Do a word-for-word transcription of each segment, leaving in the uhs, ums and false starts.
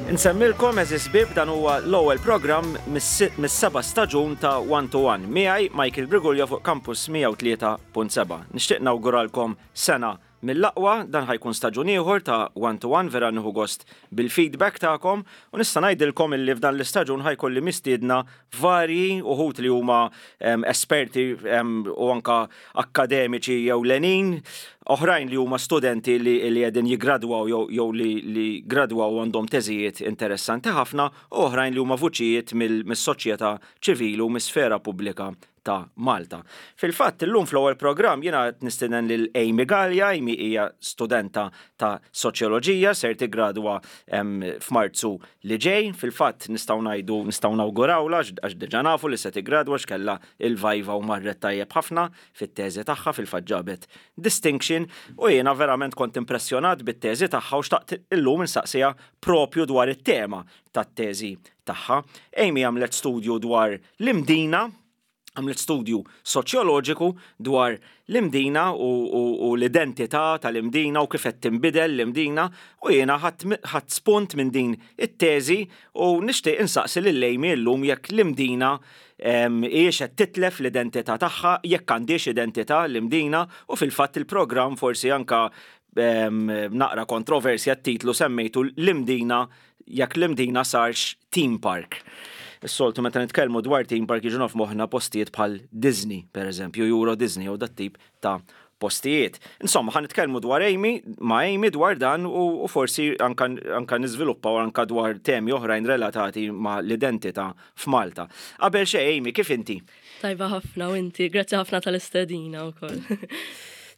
Insemmilkom, għeżież ħbieb, dan huwa l-ewwel programm mis-seba' staġun ta' One to One. Miegħi Michael Brigulja fuq Campus mija u tlieta punt seba'. Nixtieq nawguralkom sena mill-aqwa. Dan ħa jkun staġun ieħor ta' One to One, vera nieħu gost bil-feedback tagħkom u nista' ngħidilkom illi f'dan l-istaġun ħa jkolli mistiedna varji, uħud li huma em, esperti em, u anka akademiċi jew lenin, oħrajn li huma studenti li li qegħdin jigradwaw jew jew li, li gradwaw u għandhom teżijiet interessanti ħafna, u oħrajn li huma vuċijiet mill-soċjetà ċivili u mis-sfera pubblika ta' Malta. Fil-fatt, illum fl-ewwel programm jiena qed nistieden lil Amy Gallia. Amy hija studenta ta' soċjoloġija, ser tigradwa em, f'Marzu li ġej. Fil-fatt nistgħu ngħidu, nistgħu nawgurawla għax diġà nafu li se tigradwa, x'kellha il-viva u marret tajjeb ħafna fit-teżi tagħha, fil-fatt ġabet distinction, u jiena verament kont impressjonat bit-teżi tagħha u xtaqt illum insaqsiha propju dwar it-tema tat-teżi tagħha. Amy għamlet studju dwar l-Imdina, għamlet studju soċjoloġiku dwar l-Imdina u, u, u l-identità tal-Imdina u kif qed tinbidel l-Imdina, u jiena ħadt spunt minn din it-teżi u nixtieq insaqsi lil Amy llum jekk l-Imdina hijiex qed titlef l-identità tagħha, jekk għandix identità l-Imdina, u fil-fatt il-programm forsi anka em, naqra kontroversja, t-titlu semmejtu "L-Imdina, jekk l-Imdina sarx theme park". Is-soltu meta nitkellmu dwar theme park jiġu f'moħħna postijiet bħal Disney, per eżempju, Euro Disney u dat tip ta' postijiet. Insomma, ħa nitkellmu dwar Amy, ma' Amy dwar dan u, u forsi anka, anka niżviluppaw anka dwar temi oħrajn relatati ma' l-identità f'Malta. Qabel xejn, Amy, kif inti? Tajba ħafna, u inti? Grazzi ħafna tal-istedina wkoll.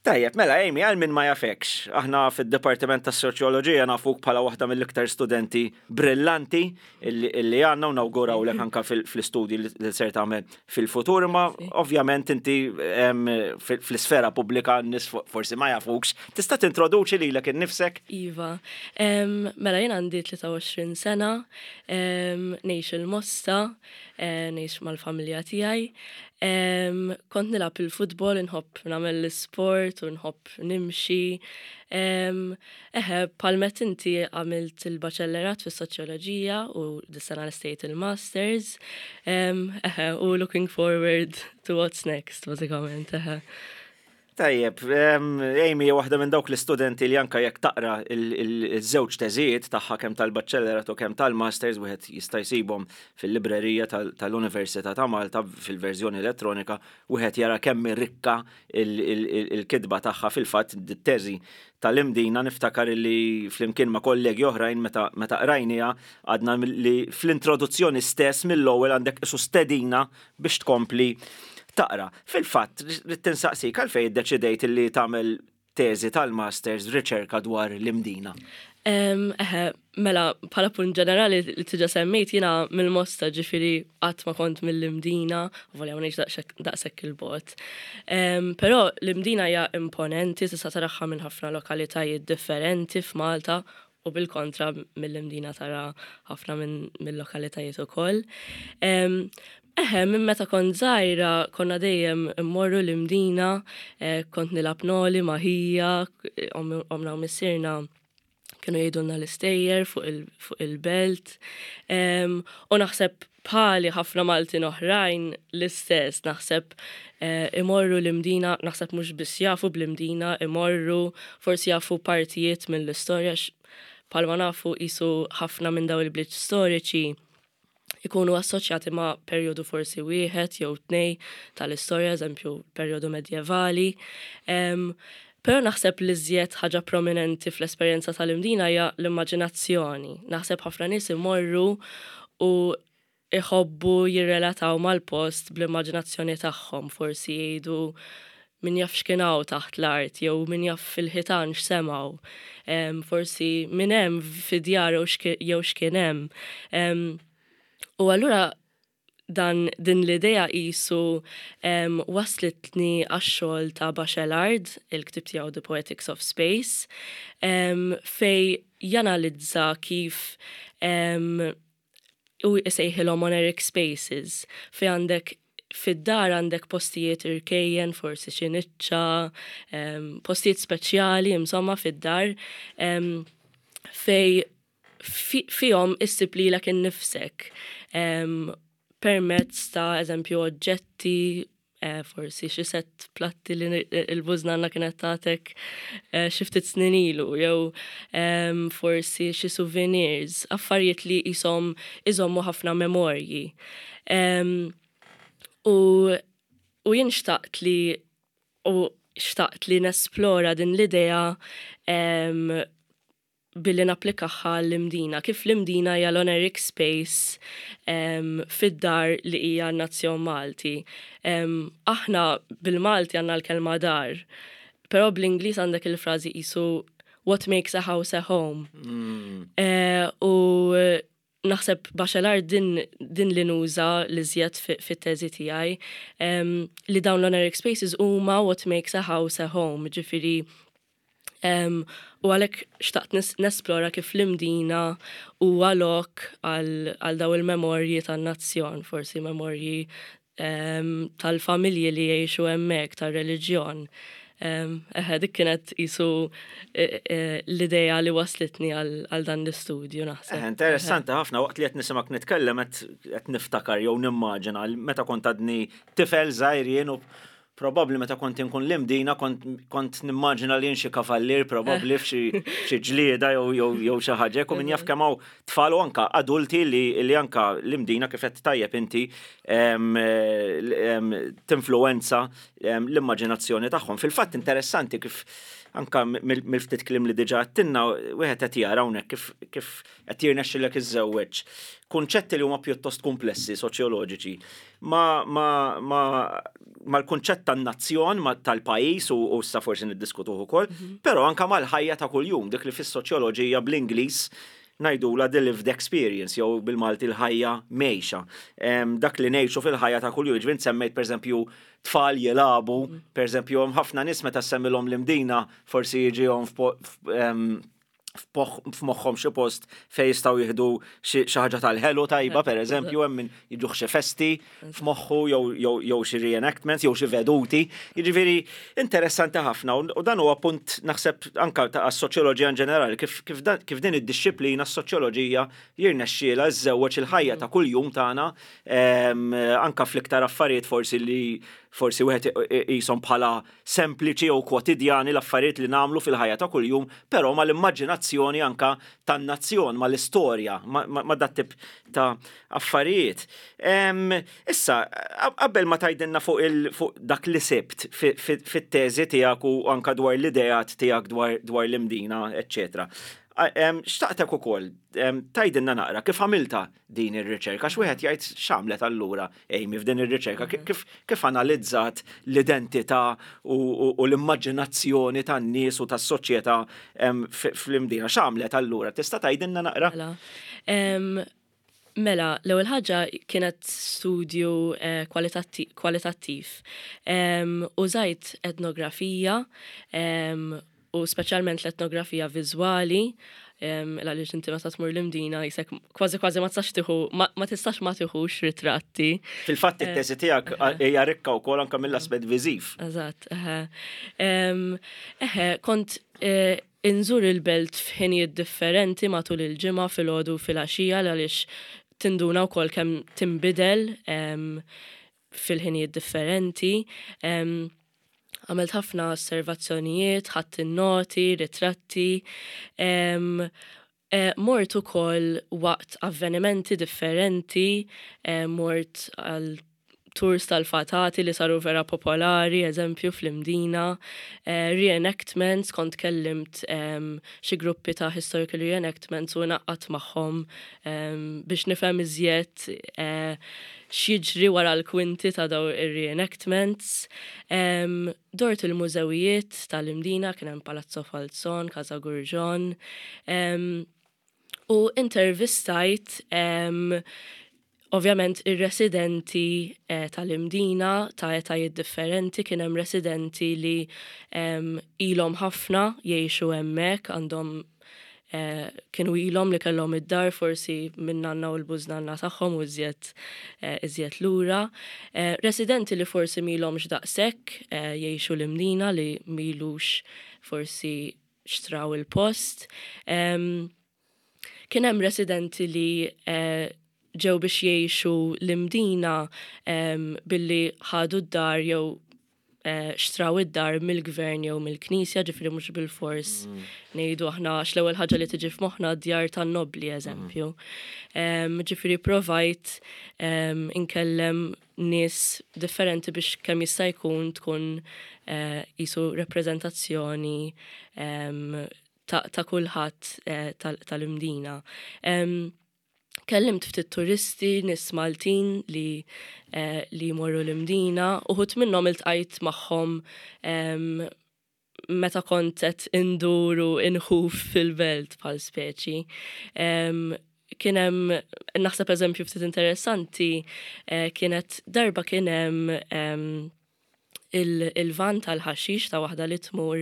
Tajjeb, mela Amy, għal min ma jafekx, aħna fid-Dipartiment tas Soċjoloġija nafuk bħala waħda mill-iktar studenti brillanti illi illi għandna u nawgurawlek anka fil-istudji li li ser tagħmel fil-futur, ma ovvjament inti em, fil- fl-isfera pubblika n-nies forsi ma jafukx. Tista' tintroduċi lilek innifsek? Iva, em, mela jien għandi tlieta u għoxrin sena, em, ngħix il-Mosta, eh, ngħix mal-familja tiegħi. Em, Kont nilgħab il-futbol, nħobb nagħmel l-sport u nħobb nimxi. Em, Eħe, bħalma inti, għamilt il-baċellerat fis-soċjoloġija u dis-sena lestejt il-masters. Em, Eħe, u looking forward to what's next, bażikament, eħe. Tajjeb, em, Amy hija waħda minn dawk l-istudenti li anka jekk taqra il-żewġ teżijiet tagħha, kemm tal-baċellerat u kemm tal-masters, wieħed jista' jsibhom fil-librerija tal- tal-Università ta' Malta fil-verżjoni elettronika, wieħed jara kemm rikka il-kitba tagħha. Fil-fatt, it-teżi tal-Imdina niftakar li flimkien ma' kollegi oħrajn meta meta qrajniha għadna li fl-introduzzjoni stess mill-ewwel għandek isu stedina biex tkompli taqra. Fil-fatt, rrid insaqsik għalfejn iddeċidejt li tagħmel teżi tal-masters, riċerka dwar l-Imdina. Em, Eħe, mela, bħala punt ġenerali li diġà semmejt, jiena mill-Mosta, ġifieri qatt ma kont mill-Imdina, u volja ma ngħix daqshekk 'il bogħod. Em, Però l-Imdina hija imponenti, tista' taraha minn ħafna lokalitajiet differenti f'Malta u bil-kontra mill-Imdina tara ħafna minn mill-lokalitajiet ukoll. Em, Eħe, minn meta kont żgħira konna dejjem immorru l-Imdina, eh, kont nilgħab noli ma' ħija, omna u missierna kienu jgħidulna l-istejjer fuq il- fuq il-belt. Em, U naħseb bħali ħafna Maltin oħrajn l-istess, naħseb eh, imorru l-Imdina, naħseb mhux biss jafu bl-Imdina, imorru, forsi jafu partijiet mill-istorja, x- bħalma nafu qisu ħafna minn daw il-bliet storiċi ikunu assoċjati ma' perjodu forsi wieħed jew tnej tal-istorja, eżempju perjodu medjevali. Em, Però naħseb li iżjed ħaġa prominenti fl-esperjenza tal-Imdina hija l-immaġinazzjoni. Naħseb ħafna nies imorru u iħobbu jirrelataw mal-post bl-immaġinazzjoni tagħhom, forsi jgħidu min jaf x'kien hawn taħt l-art, jew min jaf fil-ħitan x'semgħu, Em, forsi min hemm fid-djar jew x'ki- jew x'kien hemm. Em, U allura dan din l-idea qisu um, waslitni għax-xogħol ta' Bachelard, il-ktib tiegħu The Poetics of Space, um, fej janalizza kif um, u jsejħilhom oneiric spaces, fej għandek fid-dar għandek postijiet irkejjen, forsi xi niċċa, um, postijiet speċjali, insomma, fid-dar, um, fej Fihom issib lilek innifsek permezz ta', eżempju, oġġetti, eh, forsi xi set platti li il-bużnanna kienet tatek eh, xi ftit snin ilu, jew forsi xi souvenirs, affarijiet li jisom iżommu ħafna memorji. U u jien xtaqt li u xtaqt li nesplora din l-idea billi napplikaha l-Imdina. Kif l-Imdina hija l-oneiric space um, fid-dar li hija n-nazzjon Malti. Um, aħna bil-Malti għandna l-kelma dar, però bl-Ingliż għandek il-frażi qisu "what makes a house a home". Mm. Uh, u naħseb Bachelard din, din li nuża li żjed fit-teżi tiegħi um, li dawn l-oneiric spaces huma what makes a house a home, ġifieri Um, u għalhekk xtaqt nesplora kif l-Imdina huwa lok għal daw il-memorji tan-nazzjon, forsi memorji um, tal-familji li jgħixu hemmhekk, tar-reliġjon. Um, eħe, dik kienet qisu e, e, l-ideja li waslitni għal dan l-istudju, naħseb. Interessanti ħafna. Waqt li qed nisimgħek nitkellem qed niftakar jew nimmaġina meta kont għadni tifel żgħir jien u probabli meta kont inkun l-Imdina kont, kont nimmaġina li xi kavallier probabli f'xi ġlieda jew jew xi ħaġa. U min jaf kemm hawn tfal u anka adulti li, li anka l-Imdina, kif qed tajjeb inti, tinfluwenza l-immaġinazzjoni tagħhom. Fil-fatt interessanti kif anka mill-ftit kliem li diġà għedtilna wieħed qed jara hawnhekk kif kif qed jirnexxilek iżżewweġ kunċetti li huma pjuttost komplessi soċjoloġiċi ma ma ma mal-kunċett tan-nazzjon, tal-pajjiż u, u sa forsi niddiskutuh ukoll, mm -hmm. però anka mal-ħajja ta' kuljum, dik li fis-soċjoloġija bl-Ingliż ngħidulha the lived experience jew bil-Malti l-ħajja mgħejxa. Dak li ngħixu fil-ħajja ta' kuljum, ġifieri semmejt, pereżempju, tfal jilagħbu, mhm. pereżempju, hemm ħafna nies meta semmilhom l-Imdina forsi jiġihom f'moħħhom xi post fejn jistgħu jieħdu xi ħaġa tal-ħelu tajba, pereżempju, hemm min jiġuh xi festi f'moħħu jew xi reenactments jew xi veduti. Jiġifieri interessanti ħafna u dan huwa punt, naħseb, anka ta' soċjoloġija in ġenerali, kif kif din id-dixxiplina, s-soċjoloġija, jirnexxielha żżewweġ il-ħajja ta' kuljum tagħna anka fl-iktar affarijiet forsi li forsi wieħed qishom bħala sempliċi jew kwotidjani, l-affarijiet li nagħmlu fil-ħajja ta' kuljum, però mal-immaġinazzjoni anka tan-nazzjon, mal-istorja, ma' dat tip ta' affarijiet. Issa, qabel ma tgħidilna fuq fuq dak li sibt fit-teżi tiegħek u anka dwar l-ideat tiegħek dwar l-Imdina, eċċetera. Xtaqtek ukoll tgħidilna naqra kif għamilta din ir-riċerka, x'wieħed jgħid, x'għamlet allura Amy f'din ir-riċerka, kif kif analizzat l-identità u l-immaġinazzjoni tan-nies u tas-soċjetà fl-Imdina, x'għamlet allura? Tista' tgħidilna naqra? Mela, mela l-ewwel ħaġa kienet studju eh, kwalitattiv. Użajt etnografija u speċjalment l-etnografija viżwali, għaliex inti meta tmur l-Imdina qisek kważi kważi ma tistax tieħu ma tistax ma tieħux ritratti. Fil-fatt it-teżi tiegħek hija rikka wkoll anke mill-aspett viżiv. Eżatt, eħe. Eħe, kont eh, inżur il-belt f'ħinijiet differenti matul il-ġimgħa, filgħodu, filgħaxija, għaliex tinduna wkoll kemm tinbidel fil-ħinijiet differenti. Għamilt ħafna osservazzjonijiet, ħadt noti, ritratti. Eh, mort ukoll waqt avvenimenti differenti, mort għal tours tal-fatati li saru vera popolari, eżempju, fl-Imdina, eh, reenactments, kont kellimt xi gruppi ta' historical reenactments u naqgħad magħhom biex nifhem iżjed eh, x'jiġri wara l-kwinti ta' daw ir-reenactments. Dort il-mużewijiet tal-Imdina, kien hemm Palazzo Falzon, Casa Gurġon, u intervistajt ovvjament ir-residenti eh, tal-Imdina ta' etajiet differenti. Kien hemm residenti li ilhom ħafna jgħixu hemmhekk, għandhom eh, kienu ilhom li kellhom id-dar forsi minn nanna u l-bużnanna tagħhom u iżjed eh, iżjed lura. Residenti li forsi m'ilhomx daqshekk jgħixu l-Imdina, li m'ilux forsi xtraw il-post. Kien hemm residenti li eh, ġew biex jgħixu l-Imdina billi ħadu d-dar jew eh, xtraw id-dar mill-gvern jew mill-knisja, ġifieri mhux bil-fors mm. ngħidu aħna l-ewwel ħaġa li tiġi f'moħħna djar tan-nobli, eżempju. Mm. Ġifieri provajt inkellem nies differenti biex kemm jista' jkun tkun eh, qisu rappreżentazzjoni ta' kulħadd eh, tal-Imdina. Kellimt ftit turisti, nies Maltin li eh, li jmorru l-Imdina, uħud minnhom iltqajt magħhom meta kont qed induru inħuf fil-belt bħal speċi. Kien hemm, naħseb, eżempju ftit interessanti, eh, kienet darba kien hemm il-van tal-ħaxix ta' waħda li tmur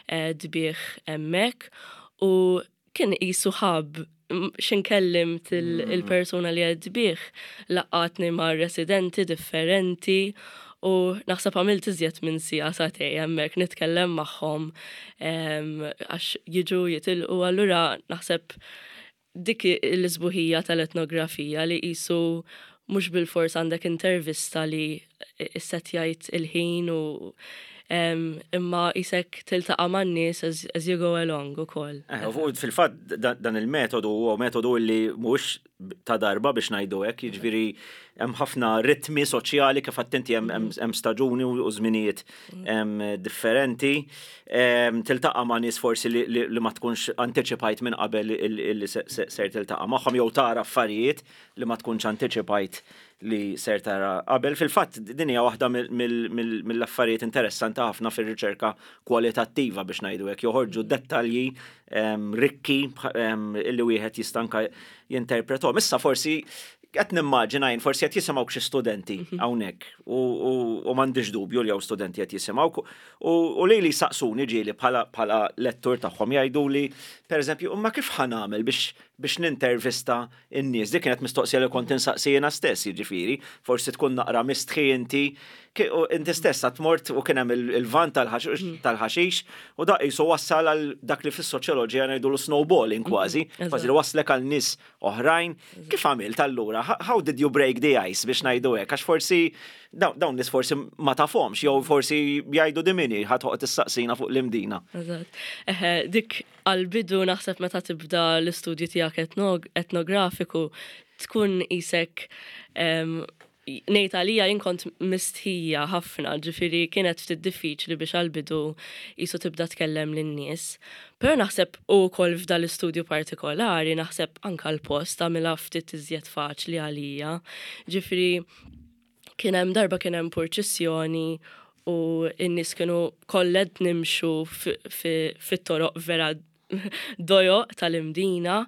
eh, tbigħ hemmhekk u kien qisu ħab x'ħin kellimt mm. il-persuna li qed tbigħ, laqqgħatni ma' residenti differenti u naħseb għamilt iżjed minn siegħa, sagħtejn hemmhekk nitkellem magħhom għax jiġu jitilqu. Allura naħseb dik l-isbuħija tal-etnografija, li qisu mhux bil-fors għandek intervista li issetjajt il-ħin u imma qisek tiltaqa' man-nies as, as you go along ukoll. Eh, fil-fatt dan il-metodu huwa metodu li mhux ta' darba, biex ngħidu hekk, jiġifieri hemm ħafna ritmi soċjali, kif attenti hemm staġuni u żminijiet differenti. Tiltaqa' ma' nies forsi li ma tkunx antiċipajt minn qabel li ser tiltaqa' magħhom jew tara affarijiet li ma tkunx antiċipajt li ser tara qabel. Fil-fatt din hija waħda mill-affarijiet interessanti ħafna fir-riċerka kwalitattiva, biex ngħidu hekk, joħorġu dettalji rikki illi wieħed jista' anka jinterpretom. Issa forsi qed nimmaġina jien, forsi qed jisimgħu xi studenti mhm. hawnhekk u m'għandix dubju li hawn studenti qed jisimgħu u li li saqsuni ġieli bħala lettur tagħhom, jgħidu li, pereżempju, imma kif ħa nagħmel biex biex nintervista n-nies? Dik kienet mistoqsija li kont insaqsi jiena stess, jiġifieri, forsi tkun naqra mistħi inti inti stess għat mort u kien hemm il-van mhm. tal-ħaxix u dak qisu wassal għal dak li fis-soċjoloġija ngħidu l-snowballing mhm. kważi, kważi li waslek għal nies oħrajn. Kif għamilt allura? How did you break the ice, biex ngħidu hekk? Għax forsi dawn nies forsi ma tafhomx jew forsi jgħidu "Din min hi ħa toqgħod tistaqsina fuq l-Imdina?" Eżatt. Dik għal-bidu naħseb meta tibda l-istudju tiegħek etnografiku tkun qisek, ngħid għalija jien kont mistħija ħafna, ġifieri kienet ftit diffiċli biex għal-bidu qisu tibda tkellem lin-nies. Però naħseb ukoll f'dal l-istudju partikolari, naħseb anka l-post għamilha ftit iżjed faċli għalija. Ġifieri kien hemm darba kien hemm purċissjoni u n-nies kienu kollha nimxu fit-toroq vera dojoq tal-Imdina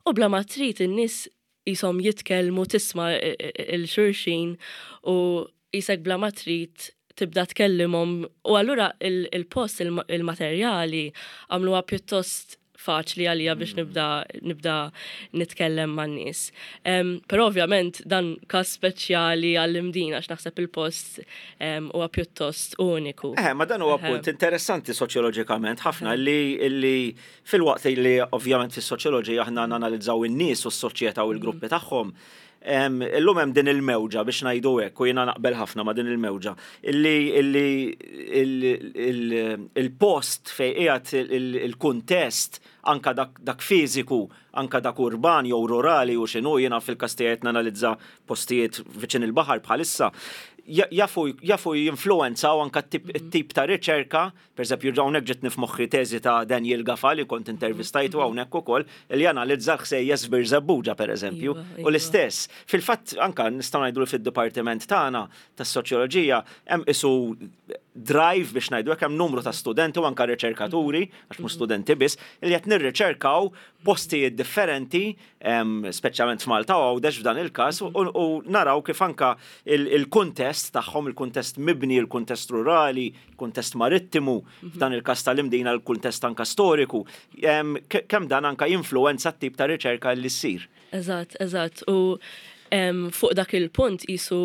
u bla ma trid in-nies qishom jitkellmu, tisma' 'l xulxin u qisek bla ma trid tibda tkellimhom u allura il-post, il-materjali għamluha pjuttost faċli għalija biex mm. nibda nibda nitkellem man-nies. Però ovvjament dan kas speċjali għall-Imdina għax naħseb il-post huwa pjuttost uniku. Eh, ma dan huwa punt interessanti soċjoloġikament ħafna li li fil-waqt li ovvjament fis-soċjoloġija aħna nanalizzaw in-nies u s-soċjetà u l-gruppi mm. tagħhom, illum hemm din il-mewġa, biex ngħidu hekk, u jiena naqbel ħafna ma' din il-mewġa, illi il-post fejn qiegħed, il-kuntest, anka dak fiżiku, anka dak urban jew rurali u x'inhu, jiena fil-każ tiegħi nanalizza postijiet viċin il-baħar bħalissa, jafu jafu jinfluenzaw anka t-tip ta' riċerka. Per eżempju, hawnhekk ġietni f'moħħi teżi ta' Daniel Gafa li kont intervistajtu hawnhekk ukoll, li analizza l-ħsejjes f'Birżebbuġa, per eżempju. Iva, u iva. l-istess, fil-fatt anka nistgħu ngħidu li fid-dipartiment tagħna tas-soċjoloġija hemm qisu drive, biex ngħidu hekk, hemm numru ta' studenti u anka riċerkaturi, għax mhux studenti biss, li qed nirriċerkaw postijiet differenti, speċjalment f'Malta u Għawdex f'dan il-każ, u naraw kif anka il-kuntest tagħhom, il-kuntest mibni, il-kuntest rurali, il-kuntest marittimu, f'dan il-każ tal-Imdina l-kuntest anka storiku, kemm dan anka jinfluwenza t-tip ta' riċerka li ssir. Eżatt, eżatt. U fuq dak il-punt qisu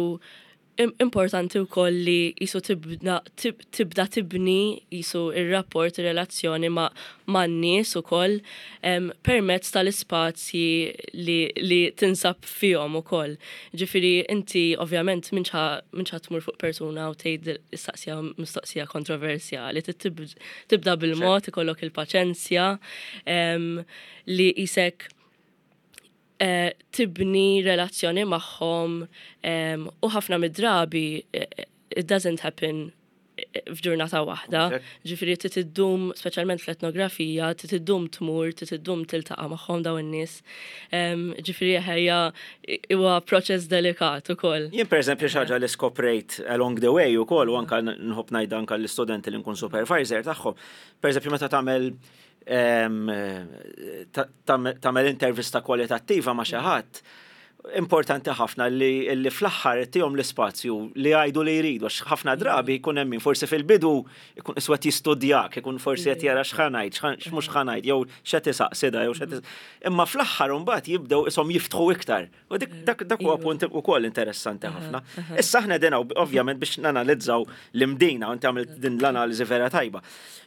Importanti wkoll li qisu tibda tibda tibni qisu ir-rapport, ir-relazzjoni ma' man-nies ukoll permezz tal-ispazji li, li tinsab fihom ukoll. Ġifieri inti ovvjament m'intix ħa tmur fuq persuna u tgħid issaqsiha mistoqsija kontroversjali, tibda bil-mod, ikollok il-paċenzja li qisek Eh, tibni relazzjoni magħhom u ħafna mid-drabi eh, it doesn't happen eh, f'ġurnata waħda. Ġifieri trid iddum, speċjalment fl-etnografija, trid iddum tmur, trid iddum tiltaqa' magħhom dawn in-nies. Ġifieri ħajja huwa proċess delikat ukoll. Jien, pereżempju, xi ħaġa li skoprejt along the way ukoll u anka nħobb ngħid anka l-istudenti li nkun supervisor tagħhom. Pereżempju, meta tagħmel tagħmel intervista kwalitattiva ma' xi ħadd, importanti ħafna li, li fl-aħħar tihom l-ispazju li jgħidu li jridu, għax ħafna drabi jkun hemm min forsi fil-bidu jkun qisu jistudjak, ikun forsi qed jara x'ħa ngħid, x'mhux ħa ngħid, jew x'qed isaqsi da, jew x'qed. Imma fl-aħħar mbagħad jibdew ishom jiftħu iktar. U dik dak dak huwa punt ukoll interessanti ħafna. Issa aħna din ovvjament biex nanalizzaw l-Imdina, u inti għamilt din l-analiżi vera tajba.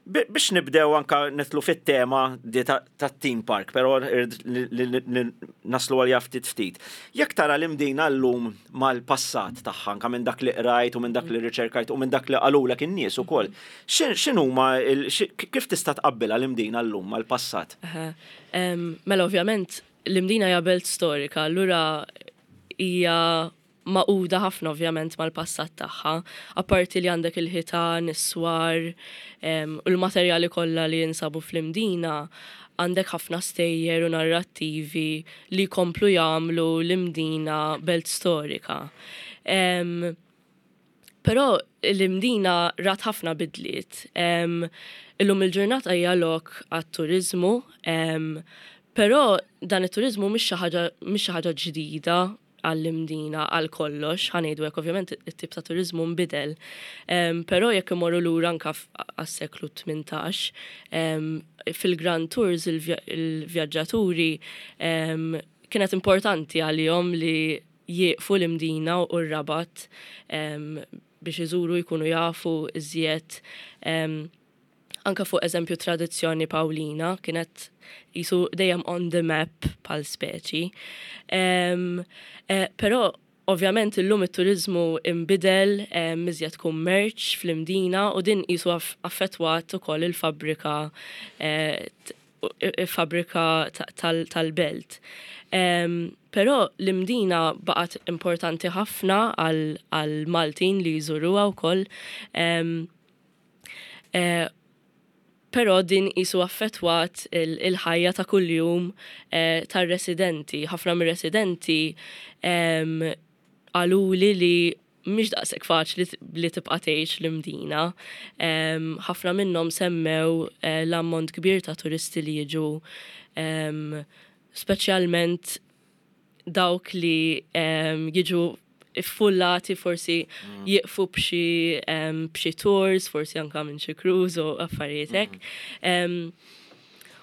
Biex nibdew anka nidħlu fit-tema ta' theme park, però naslu għal ftit ftit. Jekk tara l-Imdina llum mal-passat tagħha, anka minn dak li qrajt u minn dak li riċerkajt u minn dak li qalulek in-nies ukoll, x'inhuma, kif tista' tqabbilha l-Imdina llum mal-passat? Mela, ovvjament l-Imdina hija belt storika, allura hija magħquda ħafna ovvjament mal-passat tagħha. Apparti li għandek il-ħitan, is-swar u l-materjali kollha li jinsabu fl-Imdina, għandek ħafna stejjer u narrattivi li komplu jagħmlu l-Imdina belt storika. Però l-Imdina rat ħafna bidliet. Illum il-ġurnata hija lok għat-turizmu, però dan it-turizmu mhix xi ħaġa ġdida għall-Imdina għal kollox, ħa ngħidu hekk, ovvjament it-tip ta' turizmu nbidel. Però jekk imorru lura anka għas-seklu tmintax, fil-Grand Tours il-vjaġġaturi kienet importanti għalihom li jieqfu l-Imdina u r-Rabat biex iżuru, jkunu jafu iżjed anka fuq, eżempju, tradizzjoni Pawlina, kienet qisu dejjem on the map pal speċi. Um, eh, però ovvjament illum it-turizmu imbidel, iżjed kummerċ fl-Imdina u din qisu affettwat ukoll il-fabrika eh, il-fabrika tal-belt. Però l-Imdina baqgħet importanti ħafna għal-Maltin li jżuruha wkoll. Eh, Però din qisu affettwat il-ħajja ta' kuljum eh, tar-residenti. Ħafna mir-residenti qaluli li mhix daqshekk faċli li tibqa' tgħix l-Imdina. Ħafna minnhom semmew eh, l-ammont kbir ta' turisti li jiġu, speċjalment dawk li jiġu iffullati, forsi mm. jieqfu b'xi b'xi tours, forsi anka minn xi cruise u affarijiet hekk. Mm.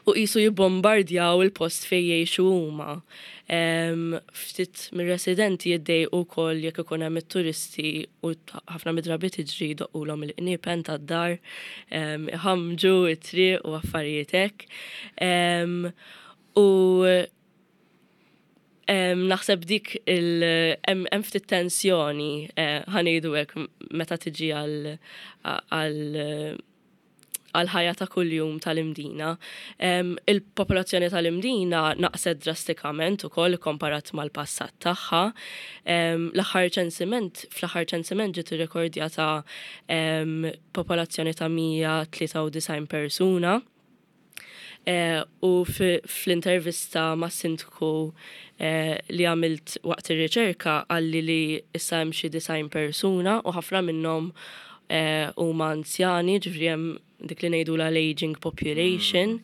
U qisu jibbombardjaw il-post fejn jgħixu huma. Ftit mir-residenti jiddejqu wkoll jekk ikun hemm it-turisti u ħafna mid-drabi tiġri jdoqqulhom il-qniepen tad-dar, iħamġu it-triq u affarijiet hekk. U naħseb dik il hemm ftit tensjoni, eh, ħa ngħidu hekk, meta tiġi għal għal ħajja ta' kuljum tal-Imdina. Il-popolazzjoni tal-Imdina naqset drastikament ukoll komparat mal-passat tagħha. L-aħħar ċensiment, fl-aħħar ċensiment ġiet irrekordjata popolazzjoni ta' mija tlieta u disgħin persuna. Eh, u fl-intervista ma' sindku eh, li għamilt waqt ir-riċerka qalli li issa hemm xi disgħin persuna u ħafna minnhom eh, huma anzjani, ġifieri hemm dik li ngħidu l-aging population.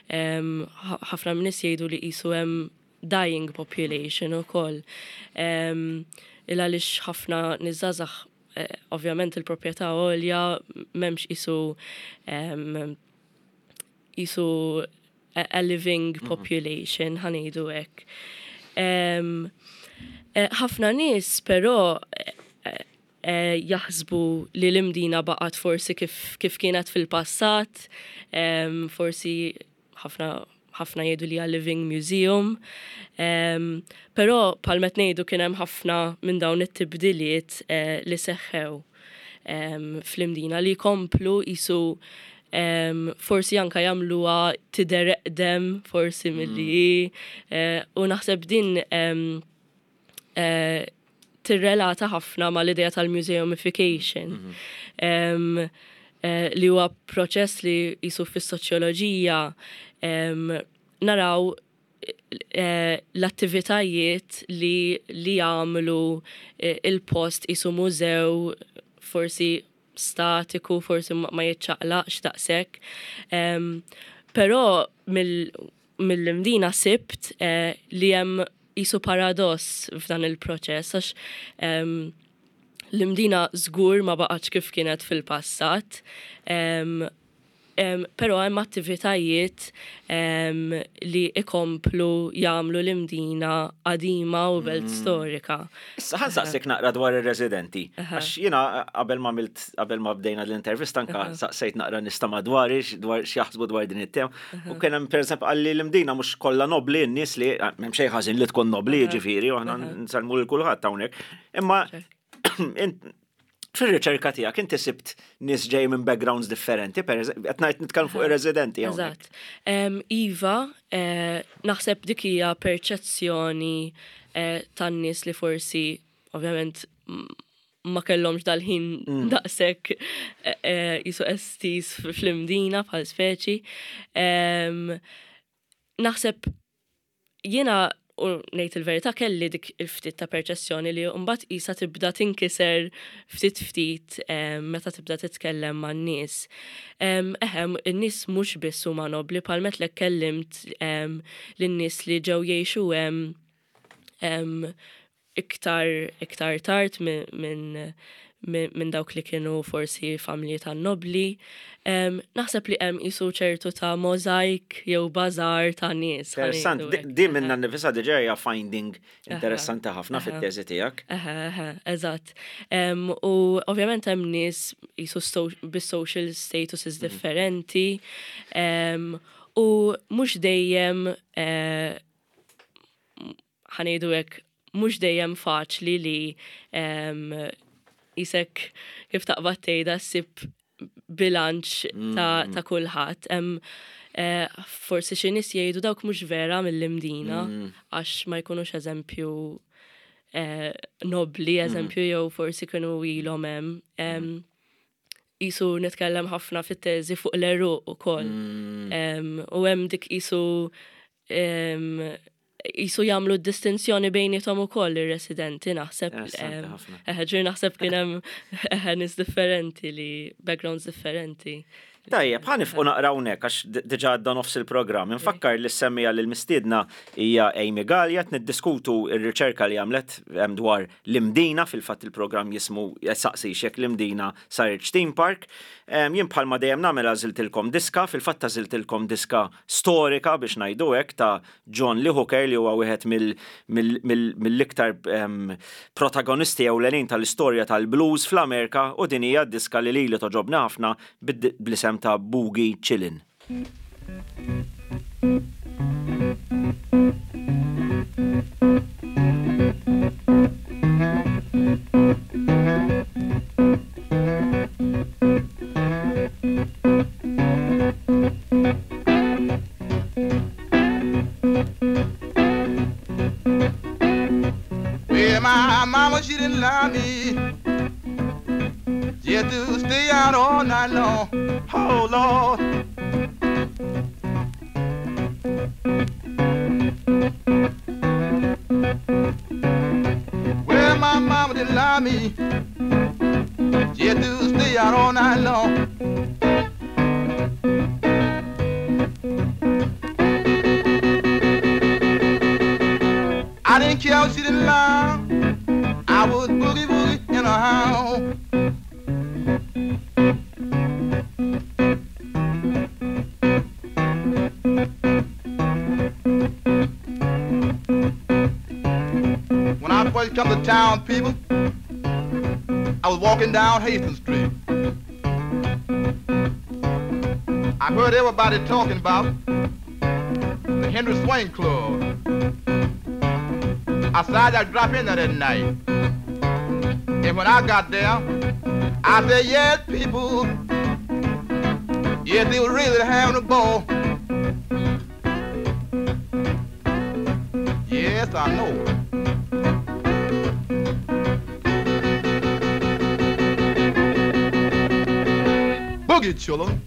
Ħafna minn nies jgħidu li qisu hemm dying population ukoll. Il għaliex ħafna nies żgħażagħ, ovvjament il-proprjetà għolja, m'hemmx qisu qisu a, a living mhm. population, ħa ngħidu hekk. Eh, ħafna nies però eh, eh, jaħsbu li l-Imdina baqgħet forsi kif, kif kienet fil-passat, em, forsi ħafna ħafna jgħidu li hija living museum. Um, però bħalma ngħidu kien hemm ħafna minn dawn it-tibdiliet eh, li seħħew um, fl-Imdina li komplu jisu um, forsi anka jagħmluha tidher eqdem forsi milli hi, eh, u naħseb din um, eh, tirrelata ħafna mal-idea tal-museumification. Um, eh, li huwa proċess li jisu fis-soċjoloġija um, naraw eh, l-attivitajiet li, li jagħmlu eh, il-post jisu mużew forsi statiku, forsi ma ma jiċċaqlaqx daqshekk. Um, però mill- mill-Imdina sibt eh, li hemm jisu paradoss f'dan il-proċess għax um, l-Imdina żgur ma baqgħetx kif kienet fil-passat. Um, um, però hemm attivitajiet um, li ikomplu jagħmlu l-Imdina qadima u belt storika. Issa ħa nsaqsik naqra dwar ir-residenti. Għax jiena qabel ma għamilt qabel ma bdejna l-intervista anka saqsejt naqra nies ta' madwari dwar x'jaħsbu dwar din it-tema. U kien hemm pereżempju qalli l-Imdina mhux kollha nobli n-nies li m'hemm xejn ħażin li tkun nobli jiġifieri u aħna nsellmu lil kulħadd hawnhekk. Imma int- fir-riċerka tiegħek inti sibt nies ġej minn backgrounds differenti, per eżempju, qed ngħid nitkellem fuq ir-residenti hawnhekk. Eżatt. Em, Iva, eh, naħseb dik hija perċezzjoni eh, tan-nies li forsi, ovvjament, m- ma kellhomx dal-ħin daqshekk eh, eh, jisu estiż fl-Imdina bħal speċi. Em, Naħseb jiena u ngħid il-verità kelli dik il-ftit ta' perċezzjoni li mbagħad isa tibda tinkiser ftit ftit em, meta tibda titkellem man-nies. Em, Eħem, in-nies mhux biss huma nobli bħalma għedtlek kellimt em, lin-nies li ġew jgħixu hemm em, iktar iktar tard minn min, min, min dawk li kienu forsi familji tan-nobli. Em, naħseb li hemm isu ċertu ta' mozaik jew bażar ta' nies. ħa Interessant, ngħidu di- hekk. di minna nifisha diġà hija finding interessanti ħafna fit-teżi tiegħek. Eħe, eħe, eżatt. Em, U ovvjament hemm nies jisu sto- bis-social statuses differenti. Em, U mhux dejjem eh, ħa ngħidu hekk, mhux dejjem faċli li em, jisek kif taqbad tgħidha ssib bilanċ ta', ta' kulħadd. Hemm eh, forsi xi nies jgħidu dawk mhux vera mill-Imdina għax ma jkunux eżempju eh, nobli, eżempju, jew forsi kienu ilhom hemm. Em, Isu nitkellem ħafna fit-teżi fuq l-għeruq ukoll. Em, U hemm dik isu em, jisu jagħmlu distinzjoni bejniethom ukoll ir-residenti naħseb. Interessanti em, ħafna. Eħe, ġifieri naħseb kien hemm eħe, nies differenti li backgrounds differenti. Tajjeb, ħa nieqfu naqra hawnhekk għax d- diġà għadda nofs il-programm. Infakkar li s-semmija li l-mistiedna hija Amy Gallia qed niddiskutu r-riċerka li għamlet em, dwar l-Imdina, fil-fatt il-programm jismu saqsi jekk l-Imdina saritx theme park. Em, Jien bħalma dejjem nagħmel għażiltilkom diska, fil-fatt għażiltilkom diska storika biex ngħidu hekk ta' John Lee Hooker li huwa wieħed mill- mill- mill- mill-iktar em, protagonisti ewlenin tal-istorja tal-blues fl-Amerika u din hija diska li lili togħġobni ħafna bid- bl-isem ta' Boogie Chillin'. Well, my mama, she didn't allow me just to stay out all night long. Oh, Lord. Well, my mama didn't allow me just to stay out all night long. I didn't care if she didn't lie. I was boogie woogie in a house. When I first come to town, people, I I was walking down Hastings Street. I heard everybody talking about the Henry Swain Club. I decided I'd drop in there that night. And when I got there, I said, yes, people. Yes, they were really having a ball. Yes, I know. Boogie, children.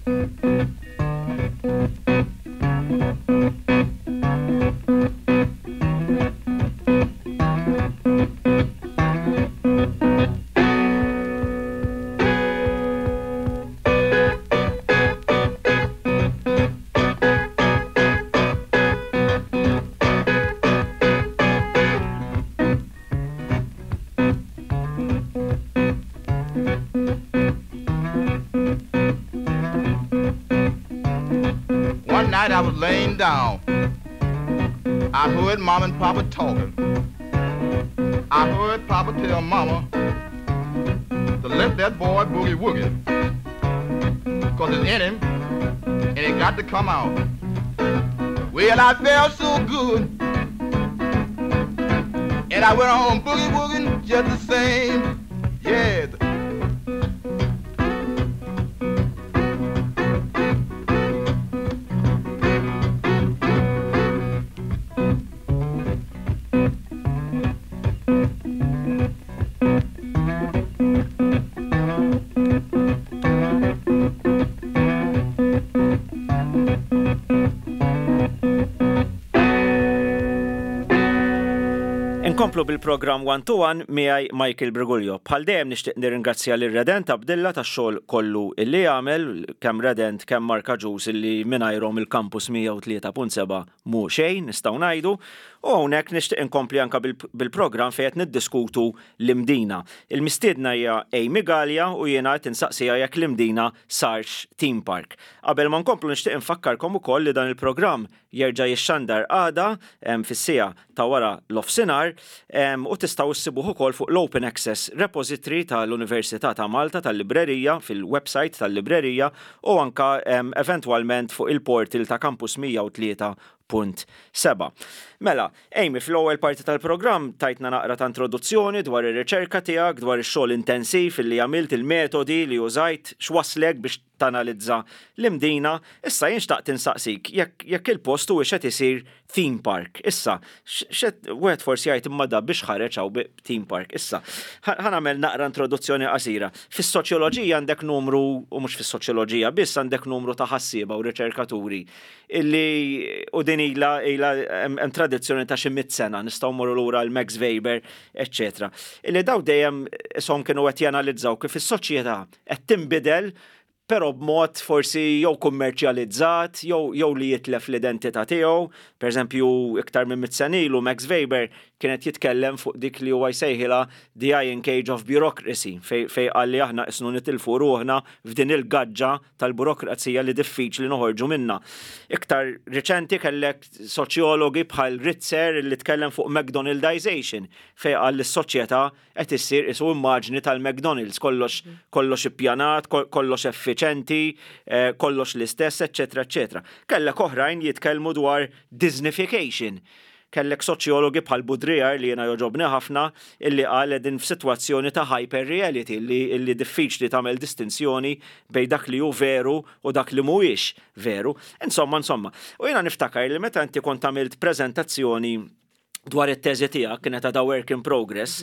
One night I was laying down. I heard Mom and Papa talking. I heard Papa tell Mama to let that boy boogie woogie, 'cause it's in him and it got to come out. Well, I felt so good, and I went on boogie wooging just the same. Yeah. Inkomplu bil-programm One to One miegħi Michael Briguglio. Bħal dejjem nixtieq nirringrazzja lil Redent Abdilla tax-xogħol kollu illi jagħmel, kemm Redent kemm Marka Ġus illi mingħajrhom il-Campus mija u tlieta punt seba' mhu xejn nistgħu ngħidu. U hawnhekk nixtieq inkompli anka bil-programm fejn qed niddiskutu l-Imdina. Il-mistiedna hija Amy Gallia u jiena qed insaqsiha jekk l-Imdina sarx theme park. Qabel ma nkomplu, nixtieq infakkarkom ukoll li dan il-programm jerġa' jixxandar għada fis-siegħa ta' wara l-offsinar u tistgħu issibuh ukoll fuq l-Open Access Repository tal-Università ta' Malta tal-Librerija, fil-website tal-Librerija, u anka eventwalment fuq il-portal ta' Campus mija u tlieta punt seba. Mela, Amy, fl-ewwel parti tal-programm tajtna naqra ta' introduzzjoni dwar ir-riċerka tiegħek, dwar ix-xogħol intensiv li għamilt, il-metodi li użajt, x'waslek biex tanalizza l-Imdina. Issa jien xtaqt insaqsik jekk jekk il-post huwiex qed isir theme park. Issa, xed wieħed forsi jgħid, imma da biex ħareġ hawn theme park. Issa, ħa nagħmel naqra introduzzjoni qasira. Fis-soċjoloġija għandek numru, u mhux fis-soċjoloġija biss, għandek numru ta' ħassieba u riċerkaturi illi u din ila ila hemm tradizzjoni ta' xi mitt sena, nistgħu mmorru lura l Max Weber, eċċetera. Illi daw dejjem ishom kienu qed janalizzaw kif is-soċjetà qed tinbidel, però b'mod forsi jew kummerċjalizzat, jew jew li jitlef l-identità tiegħu. Per eżempju, iktar minn mitt sena ilu Max Weber kienet jitkellem fuq dik li huwa jsejħilha the Iron Cage of Bureaucracy, fej fej qal li aħna isnu nitilfu ruħna f'din il-gaġġa tal-burokrazija li diffiċli noħorġu minna. Iktar riċenti kellek soċjologi bħal Ritzer li tkellem fuq McDonaldization, fej qal li s-soċjetà qed issir isu immaġni tal-McDonald's, kollox kollox ippjanat, kollox effiċenti, eh, kollox l-istess, eċċetera, eċċetera. Kellek oħrajn jitkellmu dwar Disneyfication. Kellek soċjologi bħal Baudrillard, li jena joġobni ħafna, illi qal din f'sitwazzjoni ta' hyper-reality li, illi diffiċli tagħmel distinzjoni bejn dak li hu veru u dak li mhuwiex veru. Insomma, insomma. U jiena niftakar li meta inti kont għamilt preżentazzjoni dwar it-teżi tiegħek, kienet għadha work in progress,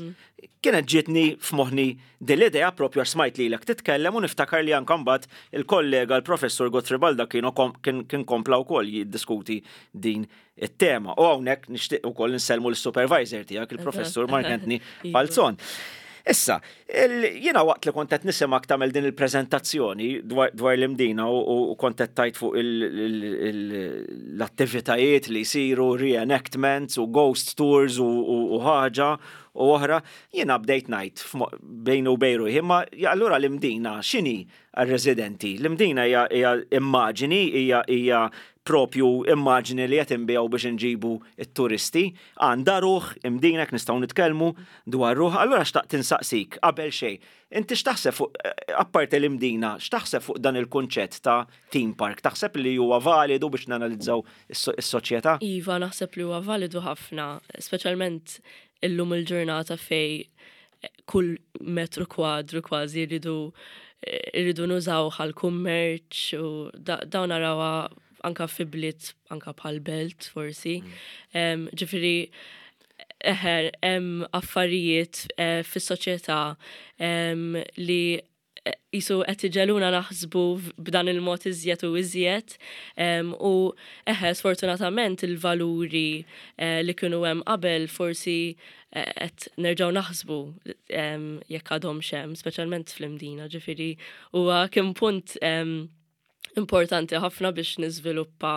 kienet ġietni f'moħħni din l-idea propju għax smajt lilek titkellem, u niftakar li anke mbagħad il-kollega l-professur Godfrey Baldacchino kien kien kompla wkoll jiddiskuti din it-tema. U hawnhekk nixtieq ukoll insellmu l-supervisor tiegħek, il-professur Mark Anthony Falzon. Issa, jiena waqt li kont qed nisimgħek tagħmel din il-preżentazzjoni dwar, dwar l-Imdina u, u kont qed tajt fuq l-attivitajiet li jsiru, reenactments u ghost tours u, u, u ħaġa u oħra, jiena bdejt ngħid bejni u bejn ruħi, imma allura l-Imdina x'inhi għar-residenti? L-Imdina hija immaġini, hija propju immaġini li qed inbigħu biex inġibu it-turisti, għandha ruħ Imdina, nistgħu nitkellmu dwar ruħ? Allura xtaqt insaqsik qabel xejn. Inti x'taħseb fuq, apparti l-Imdina, x'taħseb fuq dan il-kunċett ta' theme park? Taħseb li huwa validu biex nanalizzaw is-soċjetà? Iva, naħseb li huwa validu ħafna, speċjalment illum il-ġurnata fej kull metru kwadru kważi rridu irridu nużaw għal kummerċ u dawn narawha anka fi bliet, anka bħal belt forsi. Mm. Ġifieri, eħe, hemm affarijiet eh, fis-soċjetà li qisu qed iġegħluna naħsbu b'dan il-mod iżjed u iżjed, u eħe, sfortunatament il-valuri eh, li kienu hemm qabel forsi eh, qed nerġgħu naħsbu jekk għadhom hemm, speċjalment fl-Imdina, ġifieri huwa kien punt importanti ħafna biex niżviluppa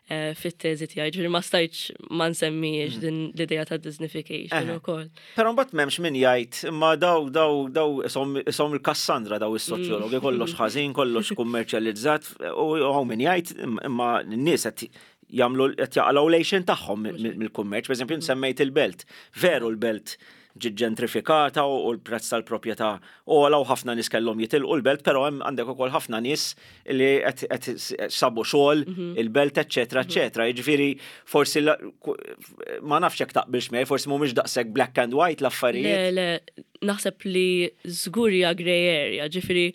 eh, fit-teżi tiegħi, ġifieri ma stajtx ma nsemmijiex mm. din l-idea ta' Disneyfication ukoll. Però mbagħad m'hemmx min jgħid imma daw daw daw isom il-Kassandra daw is-soċjologi, kollox ħażin, kollox kummerċjalizzat, u hawn min jgħid imma n-nies qed jagħmlu, qed jaqalgħu l-għixien tagħhom mill-kummerċ, pereżempju semmejt il-belt. Veru, l-belt ġiet ġentrifikata u l-prezz tal-proprjetà ogħla u ħafna nies kellhom jitilqu l-belt, però hemm għandek ukoll ħafna nies li qed sabu xogħol mhm. il-belt, eċċetera, eċċetera. Jiġifieri forsi, ma nafx jekk taqbilx miegħi, forsi mhumiex daqshekk black and white l-affarijiet. Le, le, naħseb li żgur hija grey area, ġifieri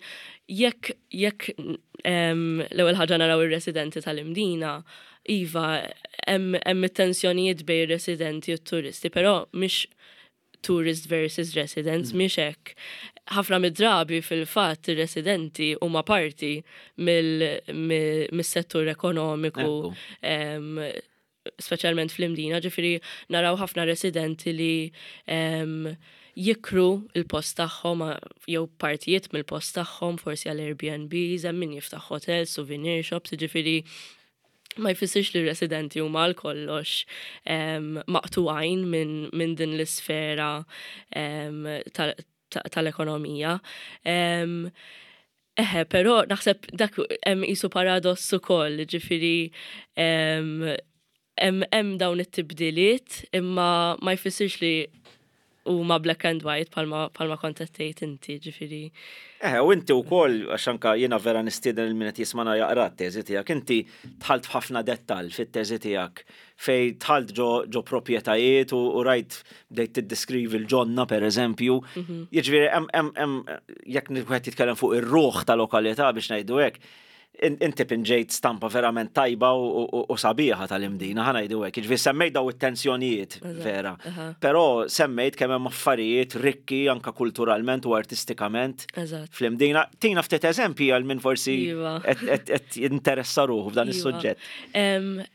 jekk jekk l-ewwel ħaġa naraw ir-residenti tal-Imdina, iva, hemm it-tensjonijiet bejn ir-residenti u t-turisti, però mhix tourist versus residents, mm. mhix hekk. Ħafna mid-drabi fil-fatt ir-residenti huma parti mill-settur ekonomiku, speċjalment fl-Imdina, ġifieri naraw ħafna residenti li jikru il-post tagħhom jew partijiet mill-post tagħhom forsi għal Airbnbs, hemm min jiftaħ hotel, souvenir shops, ġifieri ma jfissirx li residenti huma għal kollox maqtugħin minn min din l-isfera tal-ekonomija. Eħe, però naħseb dak hemm qisu paradoss ukoll, ġifieri hemm dawn it-tibdiliet imma ma jfissirx li huma black and white bħalma bħalma kont qed tgħid inti, ġifieri. Eh, u inti wkoll, għax anka jiena vera nistieden lil min qed jismana jaqra t-teżi tiegħek, inti dħalt f'ħafna dettall fit-teżi tiegħek fej dħalt ġo, ġo proprjetajiet u, u rajt bdejt tiddeskrivi l-ġonna, per eżempju. Mhm. Jiġifieri hemm hemm jekk wieħed jitkellem fuq ir-ruħ ta' lokalità, biex ngħidu hekk, inti pinġejt stampa verament tajba u sabiħa tal-Imdina, ħa ngħidu hekk. Ġifieri semmejt daw it-tensjonijiet vera. Però semmejt kemm hemm affarijiet rikki anka kulturalment u artistikament fl-Imdina. Tina ftit eżempji għal min forsi Iva. qed jinteressa ruħu f'dan Iva. is-suġġett.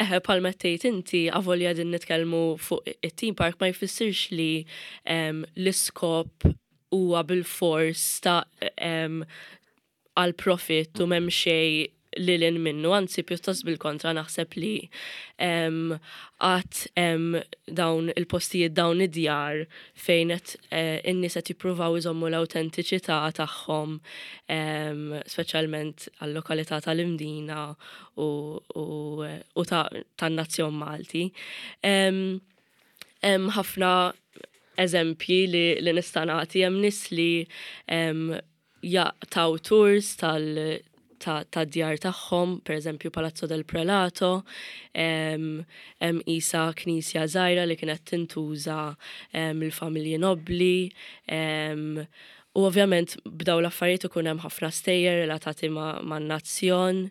Eħe, bħalma tgħid inti, avolja din nitkellmu fuq it-theme park, ma jfissirx li l-iskop huwa bil-fors ta' għal profit u m'hemm xejn lil hinn minnu, anzi pjuttost bil-kontra, naħseb li għad dawn il-postijiet, dawn id-djar fejn qed eh, in-nies qed jippruvaw iżommu l-awtentiċità tagħhom, speċjalment għal-lokalità tal-Imdina u, u tan-nazzjon Malti. Hemm ħafna eżempji li, li nista' nagħti, hemm nies li jagħtu tours tal ta' djar tagħhom, per eżempju Palazzo del Prelato, hemm isa knisja żgħira li kienet tintuża mill-familji nobli, u ovvjament b'daw l-affarijiet ikun hemm ħafna stejjer relatati man-nazzjon.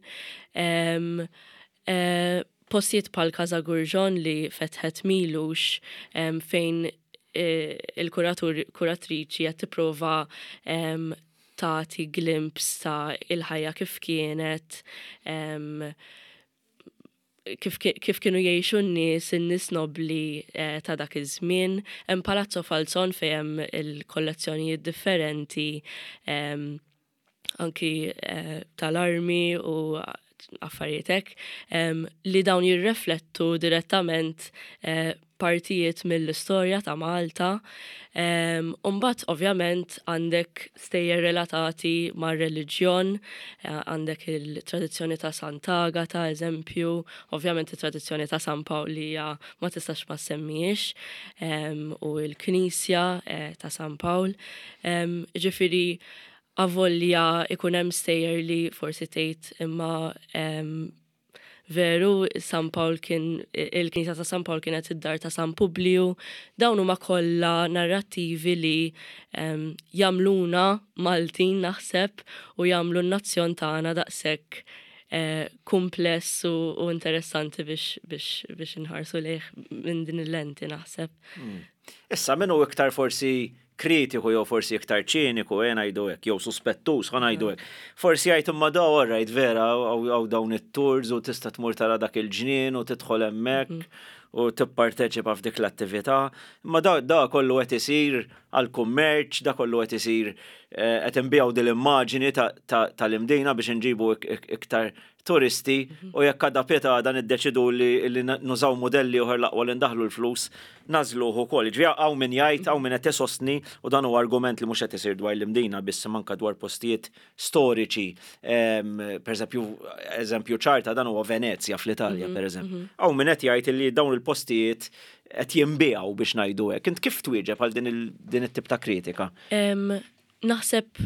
E, postijiet bħal Casa Gurġon li fetħet m'ilux, fejn e, il-kuratur kuratriċi qed tipprova tagħti glimpse ta' il-ħajja kif kienet, kif, kif kienu jgħixu n-nies, in-nies nobli eh, ta' dak iż-żmien. Hemm Palazzo Falzon fejn hemm il-kollezzjonijiet differenti, anki eh, tal-armi u Affarijiet hekk, li dawn jirreflettu direttament eh, partijiet mill-istorja ta' Malta. Umbat, ovvjament, għandek stejjer relatati mar reliġjon, eh, għandek il-tradizzjoni ta' Sant'Agata, eżempju, ovvjament il-tradizzjoni ta' San Pawl li ma tistax ma semmix, u l-Knisja eh, ta' San Pawl. Ġifieri, avolja ikun hemm stejjer li forsi tgħid imma veru San Pawl kien, il-Knisja ta' San Pawl kienet id-dar ta' San Publiju, dawn huma kollha narrattivi li um, jagħmluna Maltin, naħseb, u jagħmlu n-nazzjon tagħna daqshekk eh, kumpless u, u interessanti biex, biex, biex inħarsu lejh minn din il-lenti, naħseb. Hmm. Issa minnu iktar forsi kritiku jew forsi iktar ċiniku, eh, ngħidu hekk, jew suspettus, ħa ngħidu hekk. Forsi jgħid imma da alright, vera, hawn dawn it-tours u tista' tmur tara dak il-ġnien u tidħol hemmhekk mhm. u tipparteċipa f'dik l-attività. Imma da, da kollu qed isir għal kummerċ, da kollu qed isir eh, qed inbiegħu din l-immaġini tal-Imdina biex nġibu iktar turisti mhm. u jekk għada pitgħada niddeċidu li nużaw modelli oħra, l-aqwa li ndaħlu l-flus, nagħżluh ukoll. Ġifieri hawn min jgħid, hawn min qed isostni, u dan huwa argument li mhux qed isir dwar l-Imdina biss, manka dwar postijiet storiċi. Per eżempju, eżempju ċar ta' dan huwa Venezja fl-Italja, mhm, per eżempju. Mhm. Hawn min qed jgħid li dawn il-postijiet qed jinbiegħu, biex ngħidu hekk. Int kif twieġeb għal din it-tip ta' kritika? Naħseb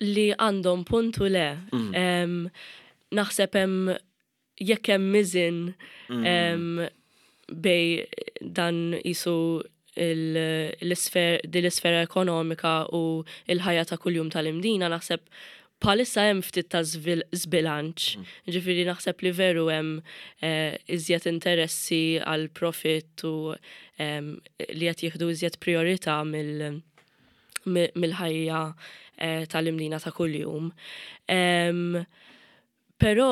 li għandhom puntu le. Mm. Naħseb hemm jekk hemm miżin mm. bejn dan jisu l-isfera ekonomika u il-ħajja ta' kuljum tal-Imdina, naħseb bħalissa hemm ftit ta' żbilanċ. Mm. Ġifieri naħseb li veru hemm eh, iżjed interessi għal profit u li qed jieħdu iżjed priorità mill-ħajja eh, tal-Imdina ta' kuljum. Però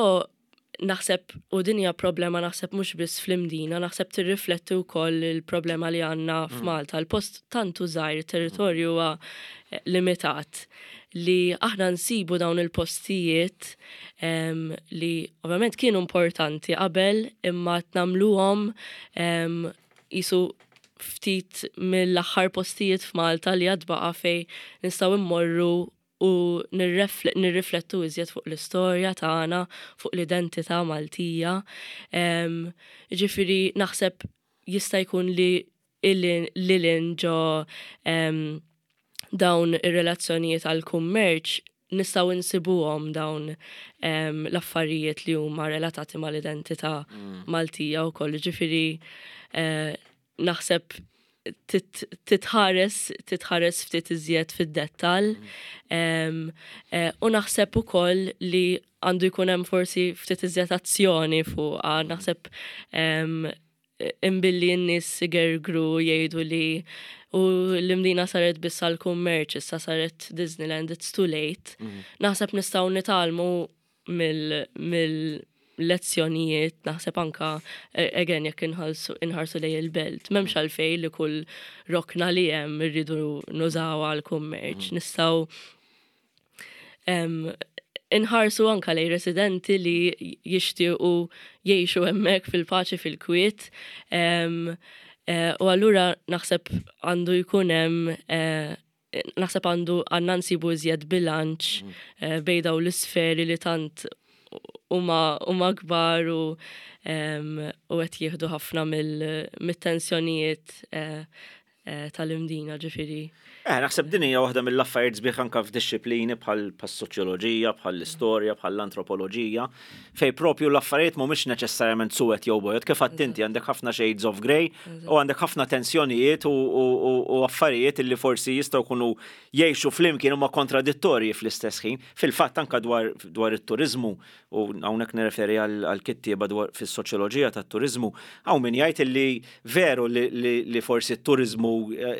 naħseb, u din hija problema naħseb mhux biss fl-Imdina, naħseb tirrifletti wkoll il-problema li għandna mm. f'Malta. Il-post tant hu żgħir, territorju huwa eh, limitat li aħna nsibu dawn il-postijiet um, li ovvjament kienu importanti qabel imma nagħmluhom um, jisu ftit mill-aħħar postijiet f'Malta li għad baqa' fej nistgħu immorru u nirriflettu iżjed fuq l-istorja tagħna, fuq l-identità Maltija. Ġifieri naħseb jista' jkun li lilin ġo dawn ir-relazzjonijiet għal kummerċ nistgħu nsibuhom dawn l-affarijiet li huma relatati mal-identità mm. Maltija wkoll. Ġifieri eh, naħseb titħares titħares ftit iżjed fid-dettall. Mm. Eh, u naħseb ukoll li għandu jkun hemm forsi ftit iżjed azzjoni fuqha. Naħseb imbilli n-nies igergru jgħidu li u l-Imdina saret biss għal kummerċ, issa saret Disneyland, it's too late. Mm. Naħseb nistgħu nitgħallmu mill lezzjonijiet, naħseb anka eh, again jekk inħarsu lejn il-belt. M'hemmx għalfejn li kull rokna li hemm irridu nużaw għal kummerċ. Mm. Nistgħu inħarsu anka lejn residenti li jixtiequ jgħixu hemmhekk fil-paċi, fil-kwiet. Eh, u allura naħseb għandu jkun hemm eh, naħseb għandu għandna nsibu iżjed bilanċ mm. bejn dawn l-isferi li tant huma kbar u u qed jieħdu ħafna mill-tensjonijiet eh, eh, tal-Imdina, ġifieri. Eh, naħseb din hija waħda mill-affarijiet sbieħ anka f'dixxiplini bħal soċjoloġija, bħal l-istorja, bħal l-antropoloġija, fej propju l-affarijiet mhumiex neċessarjament suwed jew bojod, kif inti għandek ħafna shades of grey u għandek ħafna tensjonijiet u affarijiet li forsi jistgħu jkunu jgħixu flimkien huma kontradittorji fl-istess ħin. Fil-fatt anka dwar dwar it-turizmu, u hawnhekk nirreferi għal kittieba dwar fis-soċjoloġija tat-turizmu, hawn min jgħid li veru li forsi t-turizmu eh,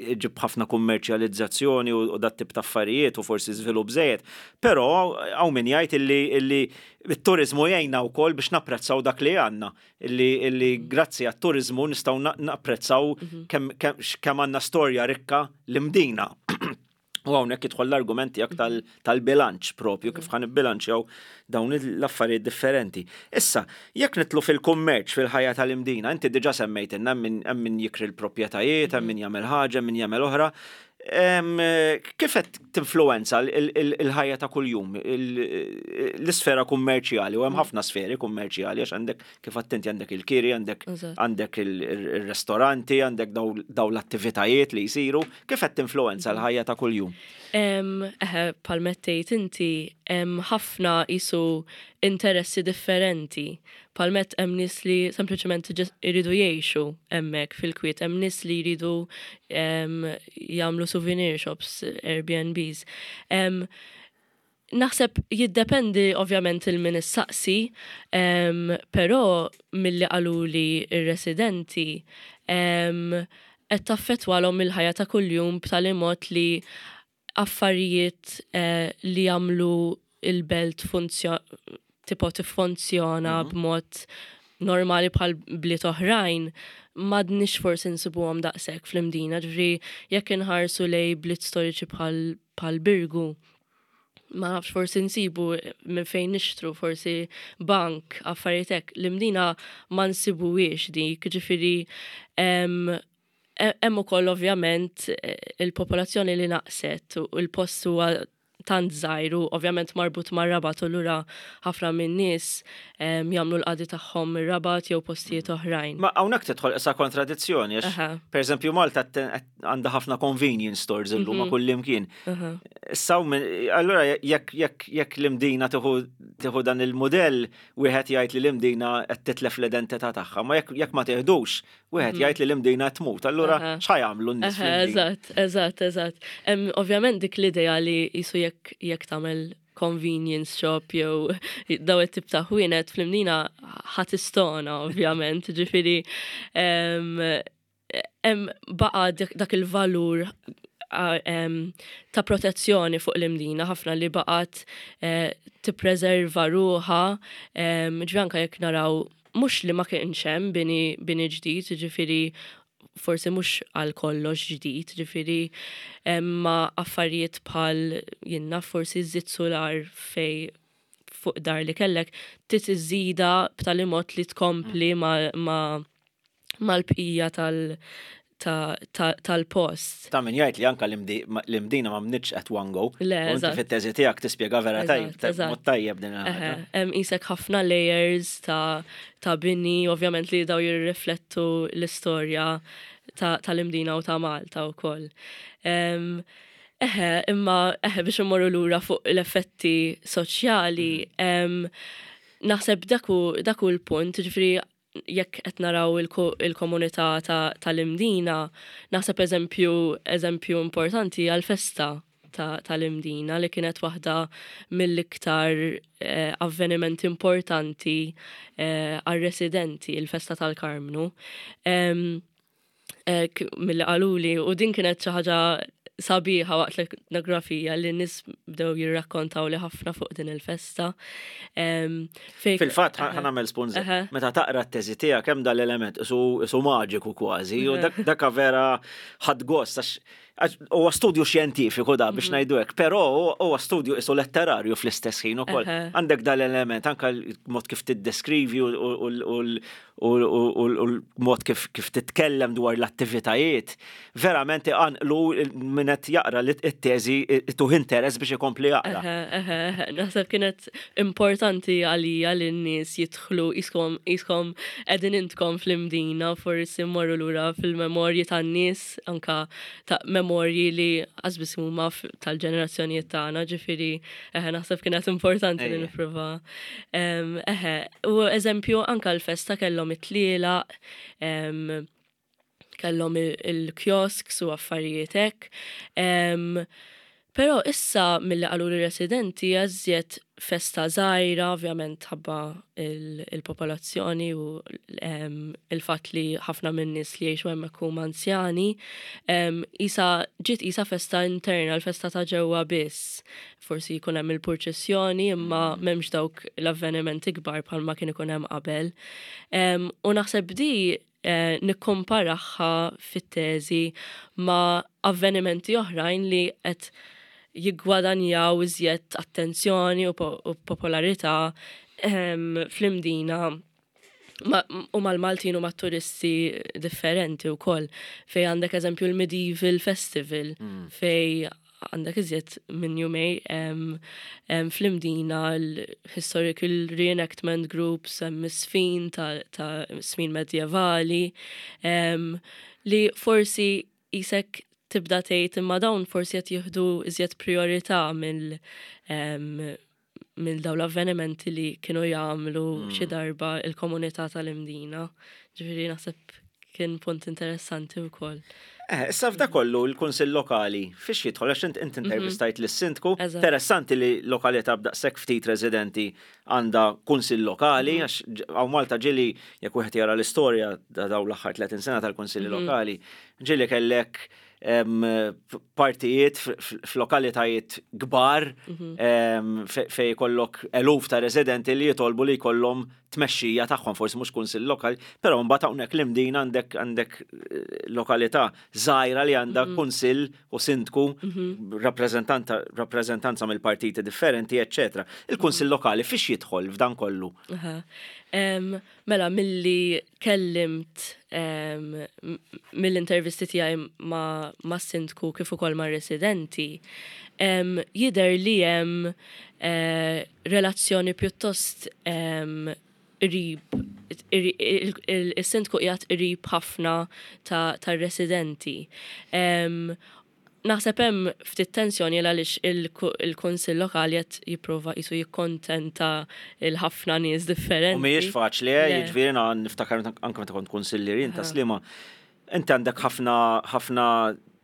eh, ġib ħafna kummerċjalizzazzjoni u dat tip ta' affarijiet u forsi żvilupp żejjed, però hawn min jgħid illi it-turizmu jgħinna wkoll biex napprezzaw dak li għandna, illi, illi grazzi għat-turizmu nistgħu napprezzaw mhm. kemm għandna storja rikka l-Imdina. U hawnhekk jidħol l-argument tiegħek tal-bilanċ propju, kif ħa nibbilanċjaw dawn l-affarijiet differenti. Issa, jekk nidħlu fil-kummerċ fil-ħajja tal-Imdina, inti diġà semmejt hemm min jikri l-proprjetajiet, hemm min jagħmel ħaġa, min jagħmel oħra. Kif qed tinfluwenza il-ħajja ta' kuljum, l-isfera kummerċjali, u hemm ħafna sferi kummerċjali, għax għandek, kif attenti, għandek il-kiri, għandek għandek il-ristoranti, għandek daw l-attivitajiet li jsiru, kif qed tinfluwenza l-ħajja ta' kuljum? Eħe, bħalma għedt inti, ħafna jisu interessi differenti. Bħalma għedt, hemm nies li sempliċement jridu jgħixu hemmhekk fil-kwiet, hemm nies li jridu jagħmlu souvenir shops, Airbnbs. Naħseb jiddependi ovvjament lil min issaqsi, però milli qaluli ir-residenti qed taffettwalhom il-ħajja ta' kuljum b'tali mod li affarijiet eh, li jagħmlu il-belt tipo tiffunzjona mhm. b'mod normali bħal bliet oħrajn m'għadniex forsi nsibuhom daqshekk fl-Imdina, ġifieri jekk inħarsu lej bliet storiċi bħal bħal Birgu, ma nafx, forsi nsibu minn fejn nixtru, forsi bank, affarijiet hekk. L-Imdina ma nsibuhiex dik, ġifieri hemm ukoll ovvjament eh, il-popolazzjoni li naqset u l-post huwa tant żgħir u ovvjament marbut mar-Rabat, u lura ħafna minn nies jagħmlu l-qadi tagħhom ir-Rabat jew postijiet oħrajn. Ma hawnhekk tidħol issa kontradizzjoni għax, pereżempju, Malta għandha ħafna convenience stores illum ma' mhm. kull imkien. Issa allura jekk jekk jekk l-Imdina tieħu dan il-modell, wieħed jgħid li l-Imdina qed titlef l-identità tagħha, ma jekk jekk ma teħdux, wieħed mhm. jgħid li l-Imdina tmut. Allura x'ħa jagħmlu n-nies? Eżatt, eżatt, eżatt. Ovvjament dik l-idea li jisu jekk jekk tagħmel convenience shop jew daw it-tip ta' ħwienet fl-Imdina ħa tistona ovvjament, ġifieri hemm baqa dak il-valur ta' protezzjoni fuq l-Imdina ħafna li baqat eh, tippreserva ruħha, ġifieri anka jekk naraw mhux li ma kienx hemm bini, bini ġdid, ġifieri forsi mhux għal kollox ġdid, ġifieri ma affarijiet bħal jiena forsi żżid solar fej fuq dar li kellek, trid iżżida b'tali mod li tkompli ma, ma mal-bqija tal- tal-post. Ta' min jgħid li anka l-Imdina ma nbnietx at one go. Le, Inti fit-teżi tiegħek tispjega vera tajjeb, mod tajjeb din. Hemm isek ħafna layers ta' ta' bini, ovvjament li daw jirriflettu l-istorja tal-Imdina u ta' Malta wkoll. Eħe, imma eħe, biex immorru lura fuq l-effetti soċjali, naħseb dak hu l-punt, ġifieri jekk qed naraw il-komunità tal-Imdina, naħseb eżempju eżempju importanti għal-festa tal-Imdina li kienet waħda mill-iktar eh, avvenimenti importanti eh, għal-residenti, il-festa tal-Karmnu. Eh, milli qaluli, u din kienet xi ħaġa sabiħa waqt l-etnografija li nies bdew jirrakkontaw li ħafna fuq din il-festa. Fil-fatt, ħa nagħmel spunt, meta taqra t-teżi tiegħek hemm dal-element isu maġiku kważi, u dak vera ħadt gost, huwa studju xjentifiku da biex mhm. ngħidu hekk, però huwa studju isu letterarju fl-istess ħin ukoll. Għandek dal-element anka l-mod kif tiddeskrivi u l-mod kif titkellem dwar l-attivitajiet, verament iqanqlu min qed jaqra li t-teżi tuh interess biex ikompli jaqra. Naħseb kienet importanti għalija li n-nies jidħlu iskom iskom qegħdin intkom fl-Imdina, forsi mmorru lura fil-memorji tan-nies, anka ta' memorji li għazbis huma tal-ġenerazzjonijiet tagħna, ġifieri eħe, naħseb kienet importanti li nipprova. Eħe, u eżempju anka l-festa kellhom it-tlielaq, kellhom il-kiosks u affarijiet hekk. Però issa milli qalu residenti għażżiet festa żgħira, ovvjament ħabba il-popolazzjoni u il-fatt li ħafna minn nies li jgħixu hemmhekk huma anzjani, isa ġiet isa festa interna, l-festa ta' ġewwa biss. Forsi jkun hemm il-purċissjoni imma m'hemmx dawk l-avvenimenti kbar bħalma kien ikun hemm qabel. U naħseb di eh, nikkomparaha fit-teżi ma' avvenimenti oħrajn li qed jiggwadanjaw iżjed attenzjoni u, po u popolarità em, fl-Imdina ma, u mal-Maltin u mat-turisti differenti u koll. Fej għandek eżempju l-Medieval Festival, mm. fej għandek iżjed minn jumejn em, em, fl-Imdina l-Historical Reenactment Groups, hemm żfin ta', ta żfin medjevali, em, li forsi jisek tibda tgħid imma dawn forsi qed jieħdu iżjed priorità mill em, mill dawn l-avvenimenti li kienu jagħmlu mm. xi darba il-komunità tal-Imdina. Ġifieri naħseb kien punt interessanti wkoll. Eh, issa f'da kollu l-Kunsill Lokali fiex jidħol, għax int int intervistajt lis-sindku? Eżatt. Interessanti li lokalità b'daqshekk ftit residenti għandha kunsill lokali, għax ġ- hawn Malta ġieli, jekk wieħed jara l-istorja ta' dawn l-aħħar tletin sena tal-kunsilli lokali, ġieli kellek em, p- partijiet f- f- f'lokalitajiet kbar em, fe- fej jkollok eluf ta' residenti li jitolbu li jkollhom tmexxija tagħhom, forsi mhux kunsill lokali, però mbagħad hawnhekk l-Imdina għandek għandek eh, lokalità żgħira li għandha kunsill u sindku, rappreżentanta rappreżentanza mill-partiti differenti, eċċetera. Il-kunsill lokali fiex jidħol f'dan kollu? Aha. Em, mela, milli kellimt em, m- mill-intervisti tiegħi ma, ma sindku kif ukoll ma' residenti, em, jidher li hemm eh, relazzjoni pjuttost em, qrib, il-sindku qiegħed qrib ħafna ta' tar-residenti. Em, Naħseb hemm ftit tensjoni għaliex il-kunsill lokali qed jipprova jisu jikkontenta il-ħafna nies differenti. U mhijiex faċli, eh, Le. jiġifieri na niftakar anke meta kont kunsillier jien ta' Sliema, inti għandek ħafna ħafna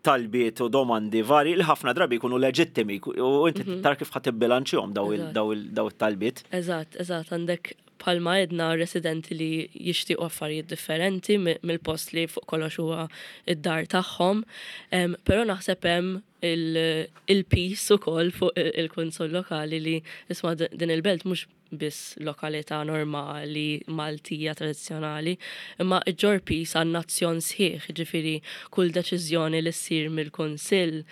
talbiet u domandi vari li ħafna drabi jkunu leġittimi u inti tara kif ħa tibbilanċjahom daw il- Eżatt. daw il- daw it-talbiet. Eżatt, eżatt, għandek bħalma għedna residenti li jixtiequ affarijiet differenti mi- mill-post li fuq kollox huwa id-dar tagħhom. Em, Però naħseb hemm il- il-piż ukoll fuq il- il-kunsill lokali li isma' din il-belt mhux biss lokalità normali Maltija tradizzjonali, imma iġġorr piż għan-nazzjon sħiħ, ġifieri kull deċiżjoni li ssir mill-kunsill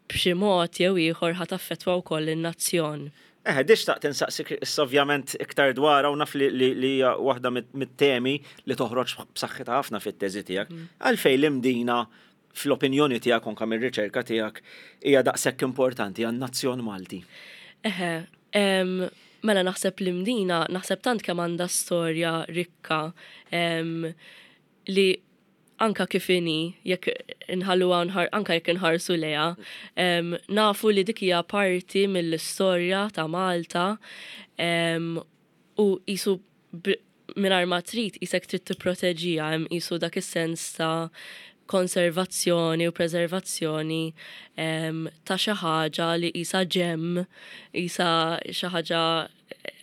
b'xi mod jew ieħor ħa taffettwa wkoll in-nazzjon. Eh, din xtaqt insaqsik issa ovvjament iktar dwar u naf li li li hija waħda mit- mit-temi li toħroġ b'saħħitha ħafna fit-teżi tiegħek. Għalfejn l-Imdina fl-opinjoni tiegħek, anke mir-riċerka tiegħek, hija daqshekk importanti għan-nazzjon Malti? Eħe, em, mela naħseb l-Imdina, naħseb tant kemm għandha storja rikka em, li anka kif inhi, jekk inħalluha nħar, anka jekk inħarsu lejha, em, nafu li dik hija parti mill-istorja ta' Malta em, u jisu mingħajr ma trid jisek trid tipproteġiha, hemm jisu dak is-sens ta' konservazzjoni u preservazzjoni em, ta' xi ħaġa li qisha gem, qisha xi ħaġa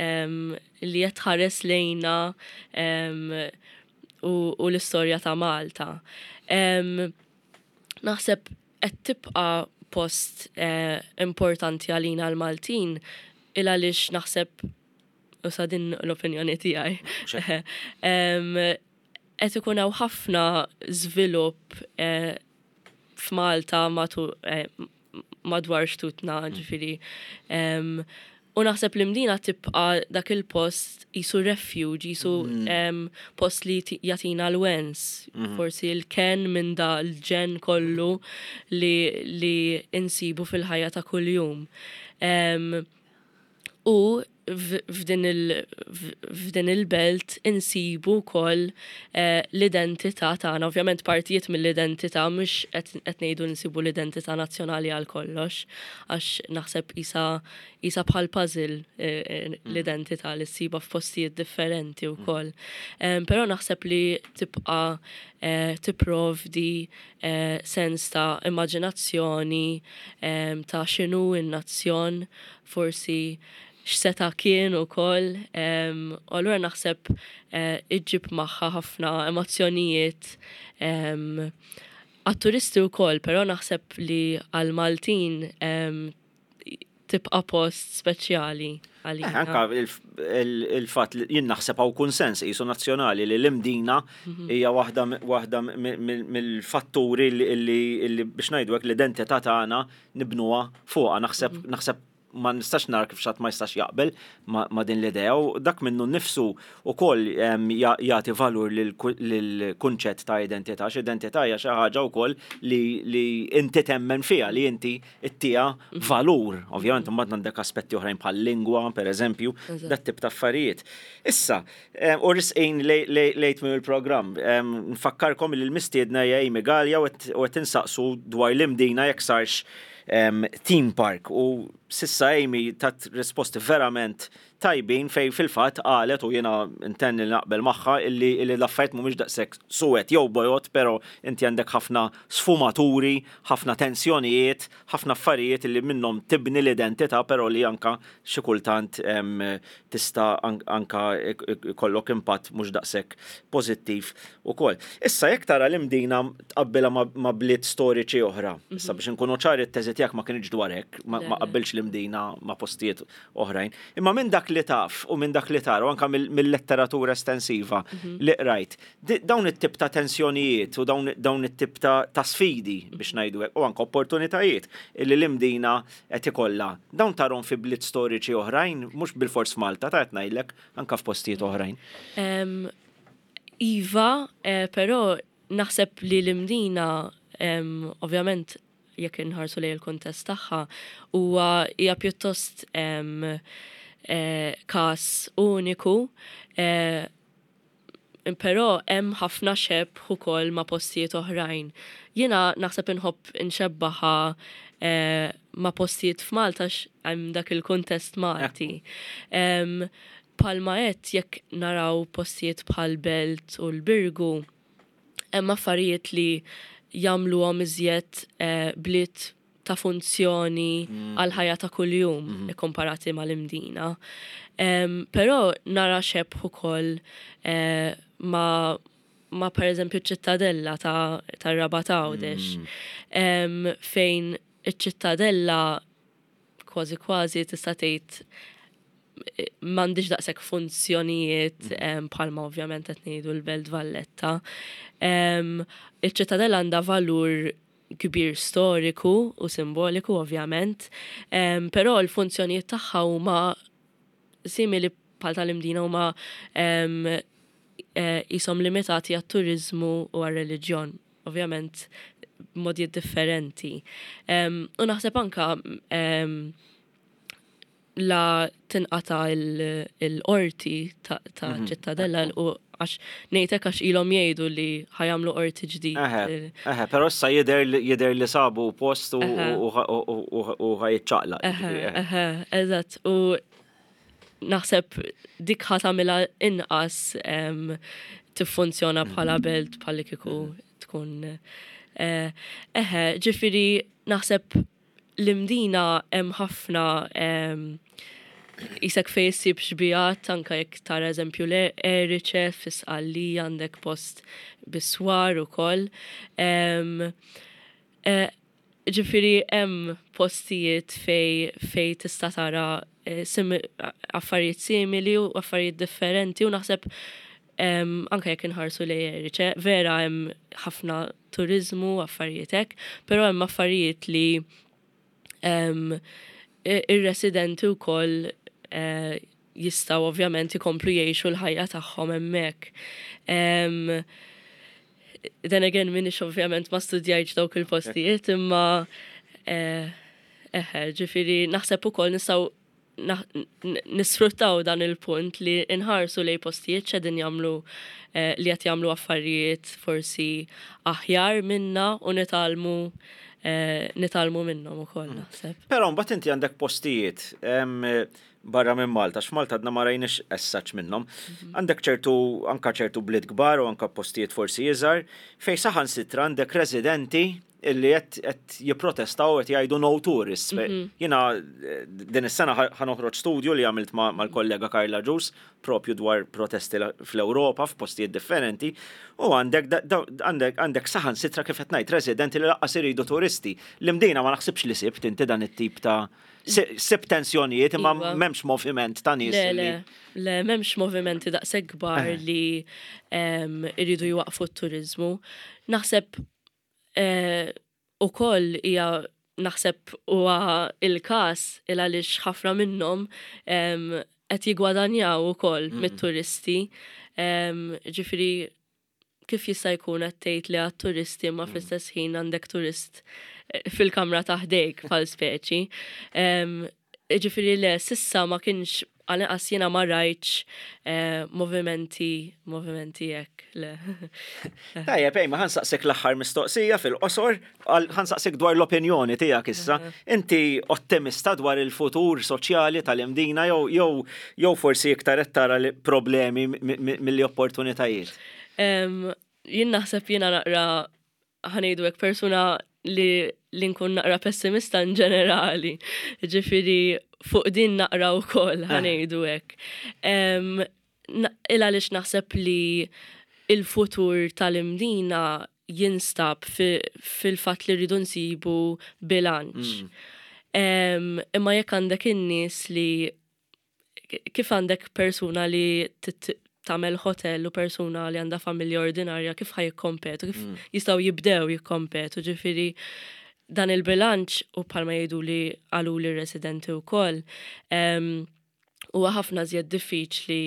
em, li qed tħares lejna em, u, u l-istorja ta' Malta. Em, naħseb qed tibqa' post eh, importanti għalina l-Maltin il għaliex naħseb, u sa din l-opinjoni tiegħi. Em, Qed ikun hawn ħafna żvilupp eh, f'Malta matu eh, madwar xtutna, ġifieri. Em, U naħseb li Mdina tibqa dak il-post jisu refuge, jisu em, post li ti- jatina l-wens, forsi l-ken minn da l-ġenn kollu li, li insibu fil-ħajja ta' kuljum. Em, U f- f'din il- f- f'din il-belt insibu wkoll eh, l-identità tagħna. Ovvjament partijiet mill-identità, mhux qed qed ngħidu nsibu l-identità nazzjonali għal kollox, għax naħseb isa isa bħal puzzle eh, eh, l-identità li ssiba f'postijiet differenti wkoll. Em, Però naħseb li tibqa' eh, tipprovdi eh, sens ta' immaġinazzjoni em, ta' x'inhu n-nazzjon, forsi x'seta' kien ukoll, em, u allura naħseb eh, iġġib magħha ħafna emozzjonijiet em, għat-turisti wkoll, però naħseb li għal-Maltin em, tibqa' post speċjali għalina. Eh, anka il-fatt li jien naħseb hawn kunsens qisu nazzjonali li l-Imdina mhm. hija waħda mill-fatturi li, biex ngħidu hekk, l-identità tagħna nibnuha fuqha. Naħseb mhm. naħseb ma nistax nara kif xi ħadd ma jistax jaqbel ma din l-idea u dak minnu nnifsu ukoll jagħti valur lill-kunċett ta' identità. X'identità hija xi ħaġa wkoll li inti temmen fiha, li inti ttiha valur. Ovvjament imbagħad għandek aspetti oħrajn bħal lingwa, pereżempju, dat tip ta' affarijiet. Issa, u resqin lejn tmiem il-programm. Nfakkarkom li l-mistiedna hija Amy Galea u qed insaqsu dwar l-Imdina jekk sarx theme park, u s'issa Amy tat risposti verament tajbin fej fil-fatt qalet, u jiena intenni li naqbel magħha, illi l-affarijiet mhumiex daqshekk suwed jew bojod, però inti għandek ħafna sfumaturi, ħafna tensjonijiet, ħafna affarijiet illi minnhom tibni l-identità, però li anka xi kultant tista' anka ikollok impatt mhux daqshekk pożittiv ukoll. Issa, jekk tara l-Imdina tqabbilha ma' bliet storiċi oħra, issa biex inkunu ċari, t-teżi tiegħek ma kienx dwar hekk, ma qabbilx l-Imdina ma' postijiet oħrajn. Imma minn dak li taf u minn dak li tara u anka mill-letteratura estensiva mhm. li qrajt, dawn it-tip ta' tensjonijiet u dawn it-tip ta' sfidi, biex ngħidu hekk, u anka opportunitajiet illi l-Imdina qed ikollha, dawn tarahom fi bliet storiċi oħrajn, mhux bil-fors Malta, ta' qed ngħidlek anka f'postijiet oħrajn? Iva, eh, però naħseb li l-Imdina, ovvjament jekk inħarsu lejn il-kuntest tagħha, huwa hija pjuttost eh, każ uniku, eh, però hemm ħafna xebh ukoll ma' postijiet oħrajn. Jiena naħseb inħobb inxebbaħa eh, ma' postijiet f'Malta, hemm dak il-kuntest Malti. Bħalma qed jekk naraw postijiet bħal Belt u l-Birgu, hemm affarijiet li jagħmluhom iżjed eh, bliet ta' funzjoni mm. għal ħajja ta' kuljum mm -hmm. komparati mal-Imdina. Um, però nara xebh ukoll eh, ma ma per eżempju ċittadella ta', ta Rabat Għawdex, mm. um, fejn iċ-ċittadella kważi kważi tista' tgħid eh, m'għandix daqshekk funzjonijiet mm. bħalma ovvjament qed ngħidu l-Belt Valletta. Um, Iċ-ċittadella għandha valur kbir storiku u simboliku ovvjament, um, però l-funzjonijiet tagħha huma simili bħal tal-Imdina, huma um, jisom limitati għat-turizmu u għal-reliġjon, ovvjament b'modijiet differenti. Um, u naħseb anka um, la tinqata il-qorti ta' mhm. ċittadella, u għax ngħidlek għax ilhom jgħidu li ħa jagħmlu qorti ġdid. Eħe, però issa jidher jidher li sabu post u ħa jiċċaqlaq. Eħe, eżatt. U naħseb dik ħa tagħmilha inqas tiffunzjona bħala mhm. belt bħalli kieku tkun. Eh, eħe, ġifieri naħseb l-Imdina hemm ħafna jisek fej issib xbihat, anka jekk tara eżempju l-Erice f'Sqallija, għandek post biswar ukoll. E, ġifieri hemm postijiet fej fej tista' tara e, affarijiet simili u affarijiet differenti, u naħseb anka jekk inħarsu lejn Erice, vera hemm ħafna turizmu, affarijiet hekk, però hemm affarijiet li ir-residenti wkoll eh, jistgħu ovvjament ikomplu jgħixu l-ħajja tagħhom hemmhekk. Then again, minix ovvjament ma studjajtx dawk il-postijiet, imma eh, eħe, ġifieri naħseb ukoll nistgħu nisfruttaw dan il-punt li nħarsu lej postijiet x'qegħdin jagħmlu, eh, li qed jagħmlu affarijiet forsi aħjar minna, u nitgħallmu eh, nitgħallmu minnhom ukoll mm. naħseb. Però mbagħad inti għandek postijiet barra minn Malta, x'Malta għadna ma rajniex essaċ minnhom. Mhm. Għandek ċertu anka ċertu bliet kbar u anka postijiet forsi iżgħar fejn saħansitra għandek residenti illi qed jipprotestaw, qed jgħidu "no tourists". Mhm. Jiena eh, din is-sena ħa noħroġ studju li għamilt mal-kollega Karla Ġus propju dwar protesti fl-Ewropa f'postijiet differenti u għandek għandek għandek saħansitra, kif qed ngħid, residenti li lanqas iridu turisti. L-Imdina ma naħsibx li sibt inti dan it-tip ta' sib tensjonijiet, imma iva. M'hemmx moviment ta' nies. Le, le, le, m'hemmx movimenti daqshekk kbar eh. li iridu jwaqfu t-turizmu. Naħseb eh, ukoll hija naħseb huwa il-każ il għaliex ħafna minnhom qed jigwadanjaw ukoll mm. mit-turisti. Ġifieri kif jista' jkun qed tgħid le għat-turisti ma mm. fl-istess ħin għandek turist eh, fil-kamra ta' ħdejk bħal speċi? Ġifieri le, s'issa ma kienx, għal jiena ma rajtx eh, movimenti, movimenti hekk, le. Tajjeb, ejma, ħa nsaqsik l-aħħar mistoqsija fil-qosor, ħa nsaqsik dwar l-opinjoni tiegħek issa. Inti ottimista dwar il-futur soċjali tal-Imdina jew jew jew forsi iktar qed tara problemi milli opportunitajiet? Jien naħseb jiena naqra, ħa ngħidu hekk, persuna li li nkun naqra pessimista in ġenerali. Ġifieri fuq din naqra wkoll, ħa ngħidu hekk. Il għaliex naħseb li il-futur tal-Imdina jinstab fil-fat li rridu nsibu bilanċ. Mm. Imma jekk għandek in-nies li kif għandek persuna li tagħmel hotel u persuna li għandha familja ordinarja, kif ħa jikkompetu, kif mm. jistgħu jibdew jikkompetu? Ġifieri dan il-bilanċ, u bħalma jgħidu li qalu li residenti wkoll, huwa ħafna żjed diffiċli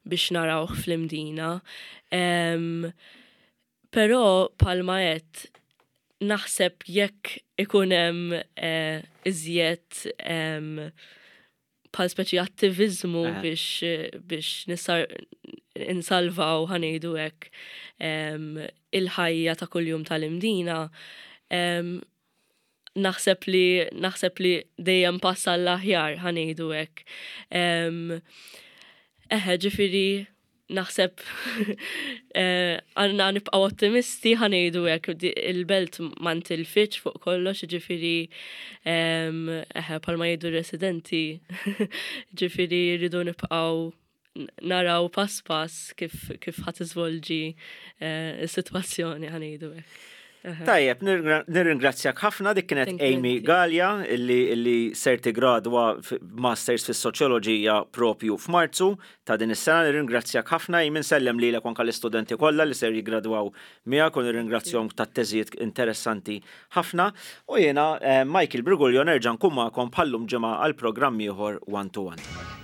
biex narawh fl-Imdina. Però bħalma qed naħseb jekk ikun hemm eh, iżjed bħal speċi attivizmu eh. biex biex nisar insalvaw, ħa ngħidu hekk, il-ħajja ta' kuljum tal-Imdina, naħseb li naħseb li dejjem pass għall-aħjar, ħa ngħidu hekk. Eħe, ġifieri naħseb eh, għandna nibqaw ottimisti, ħa ngħidu hekk, il-belt ma ntilfitx fuq kollox, ġifieri eħe, bħalma jgħidu residenti, ġifieri rridu nibqaw naraw pass pass kif kif ħa tiżvolġi eh, is-sitwazzjoni, ħa ngħidu hekk. Tajjeb, nirringrazzjak ħafna. Dik kienet Amy Gallia illi, illi ser tigradwa Masters fis-Soċjoloġija propju f'Marzu ta' din is-sena. Nirringrazzjak ħafna, Amy, nsellem lilek anke l-istudenti kollha li ser jigradwaw miegħek u nirringrazzjahom tat-teżijiet interessanti ħafna. U jiena eh, Michael Briguglio nerġa' nkun magħkom bħallum ġimgħa għal programm ieħor One to One.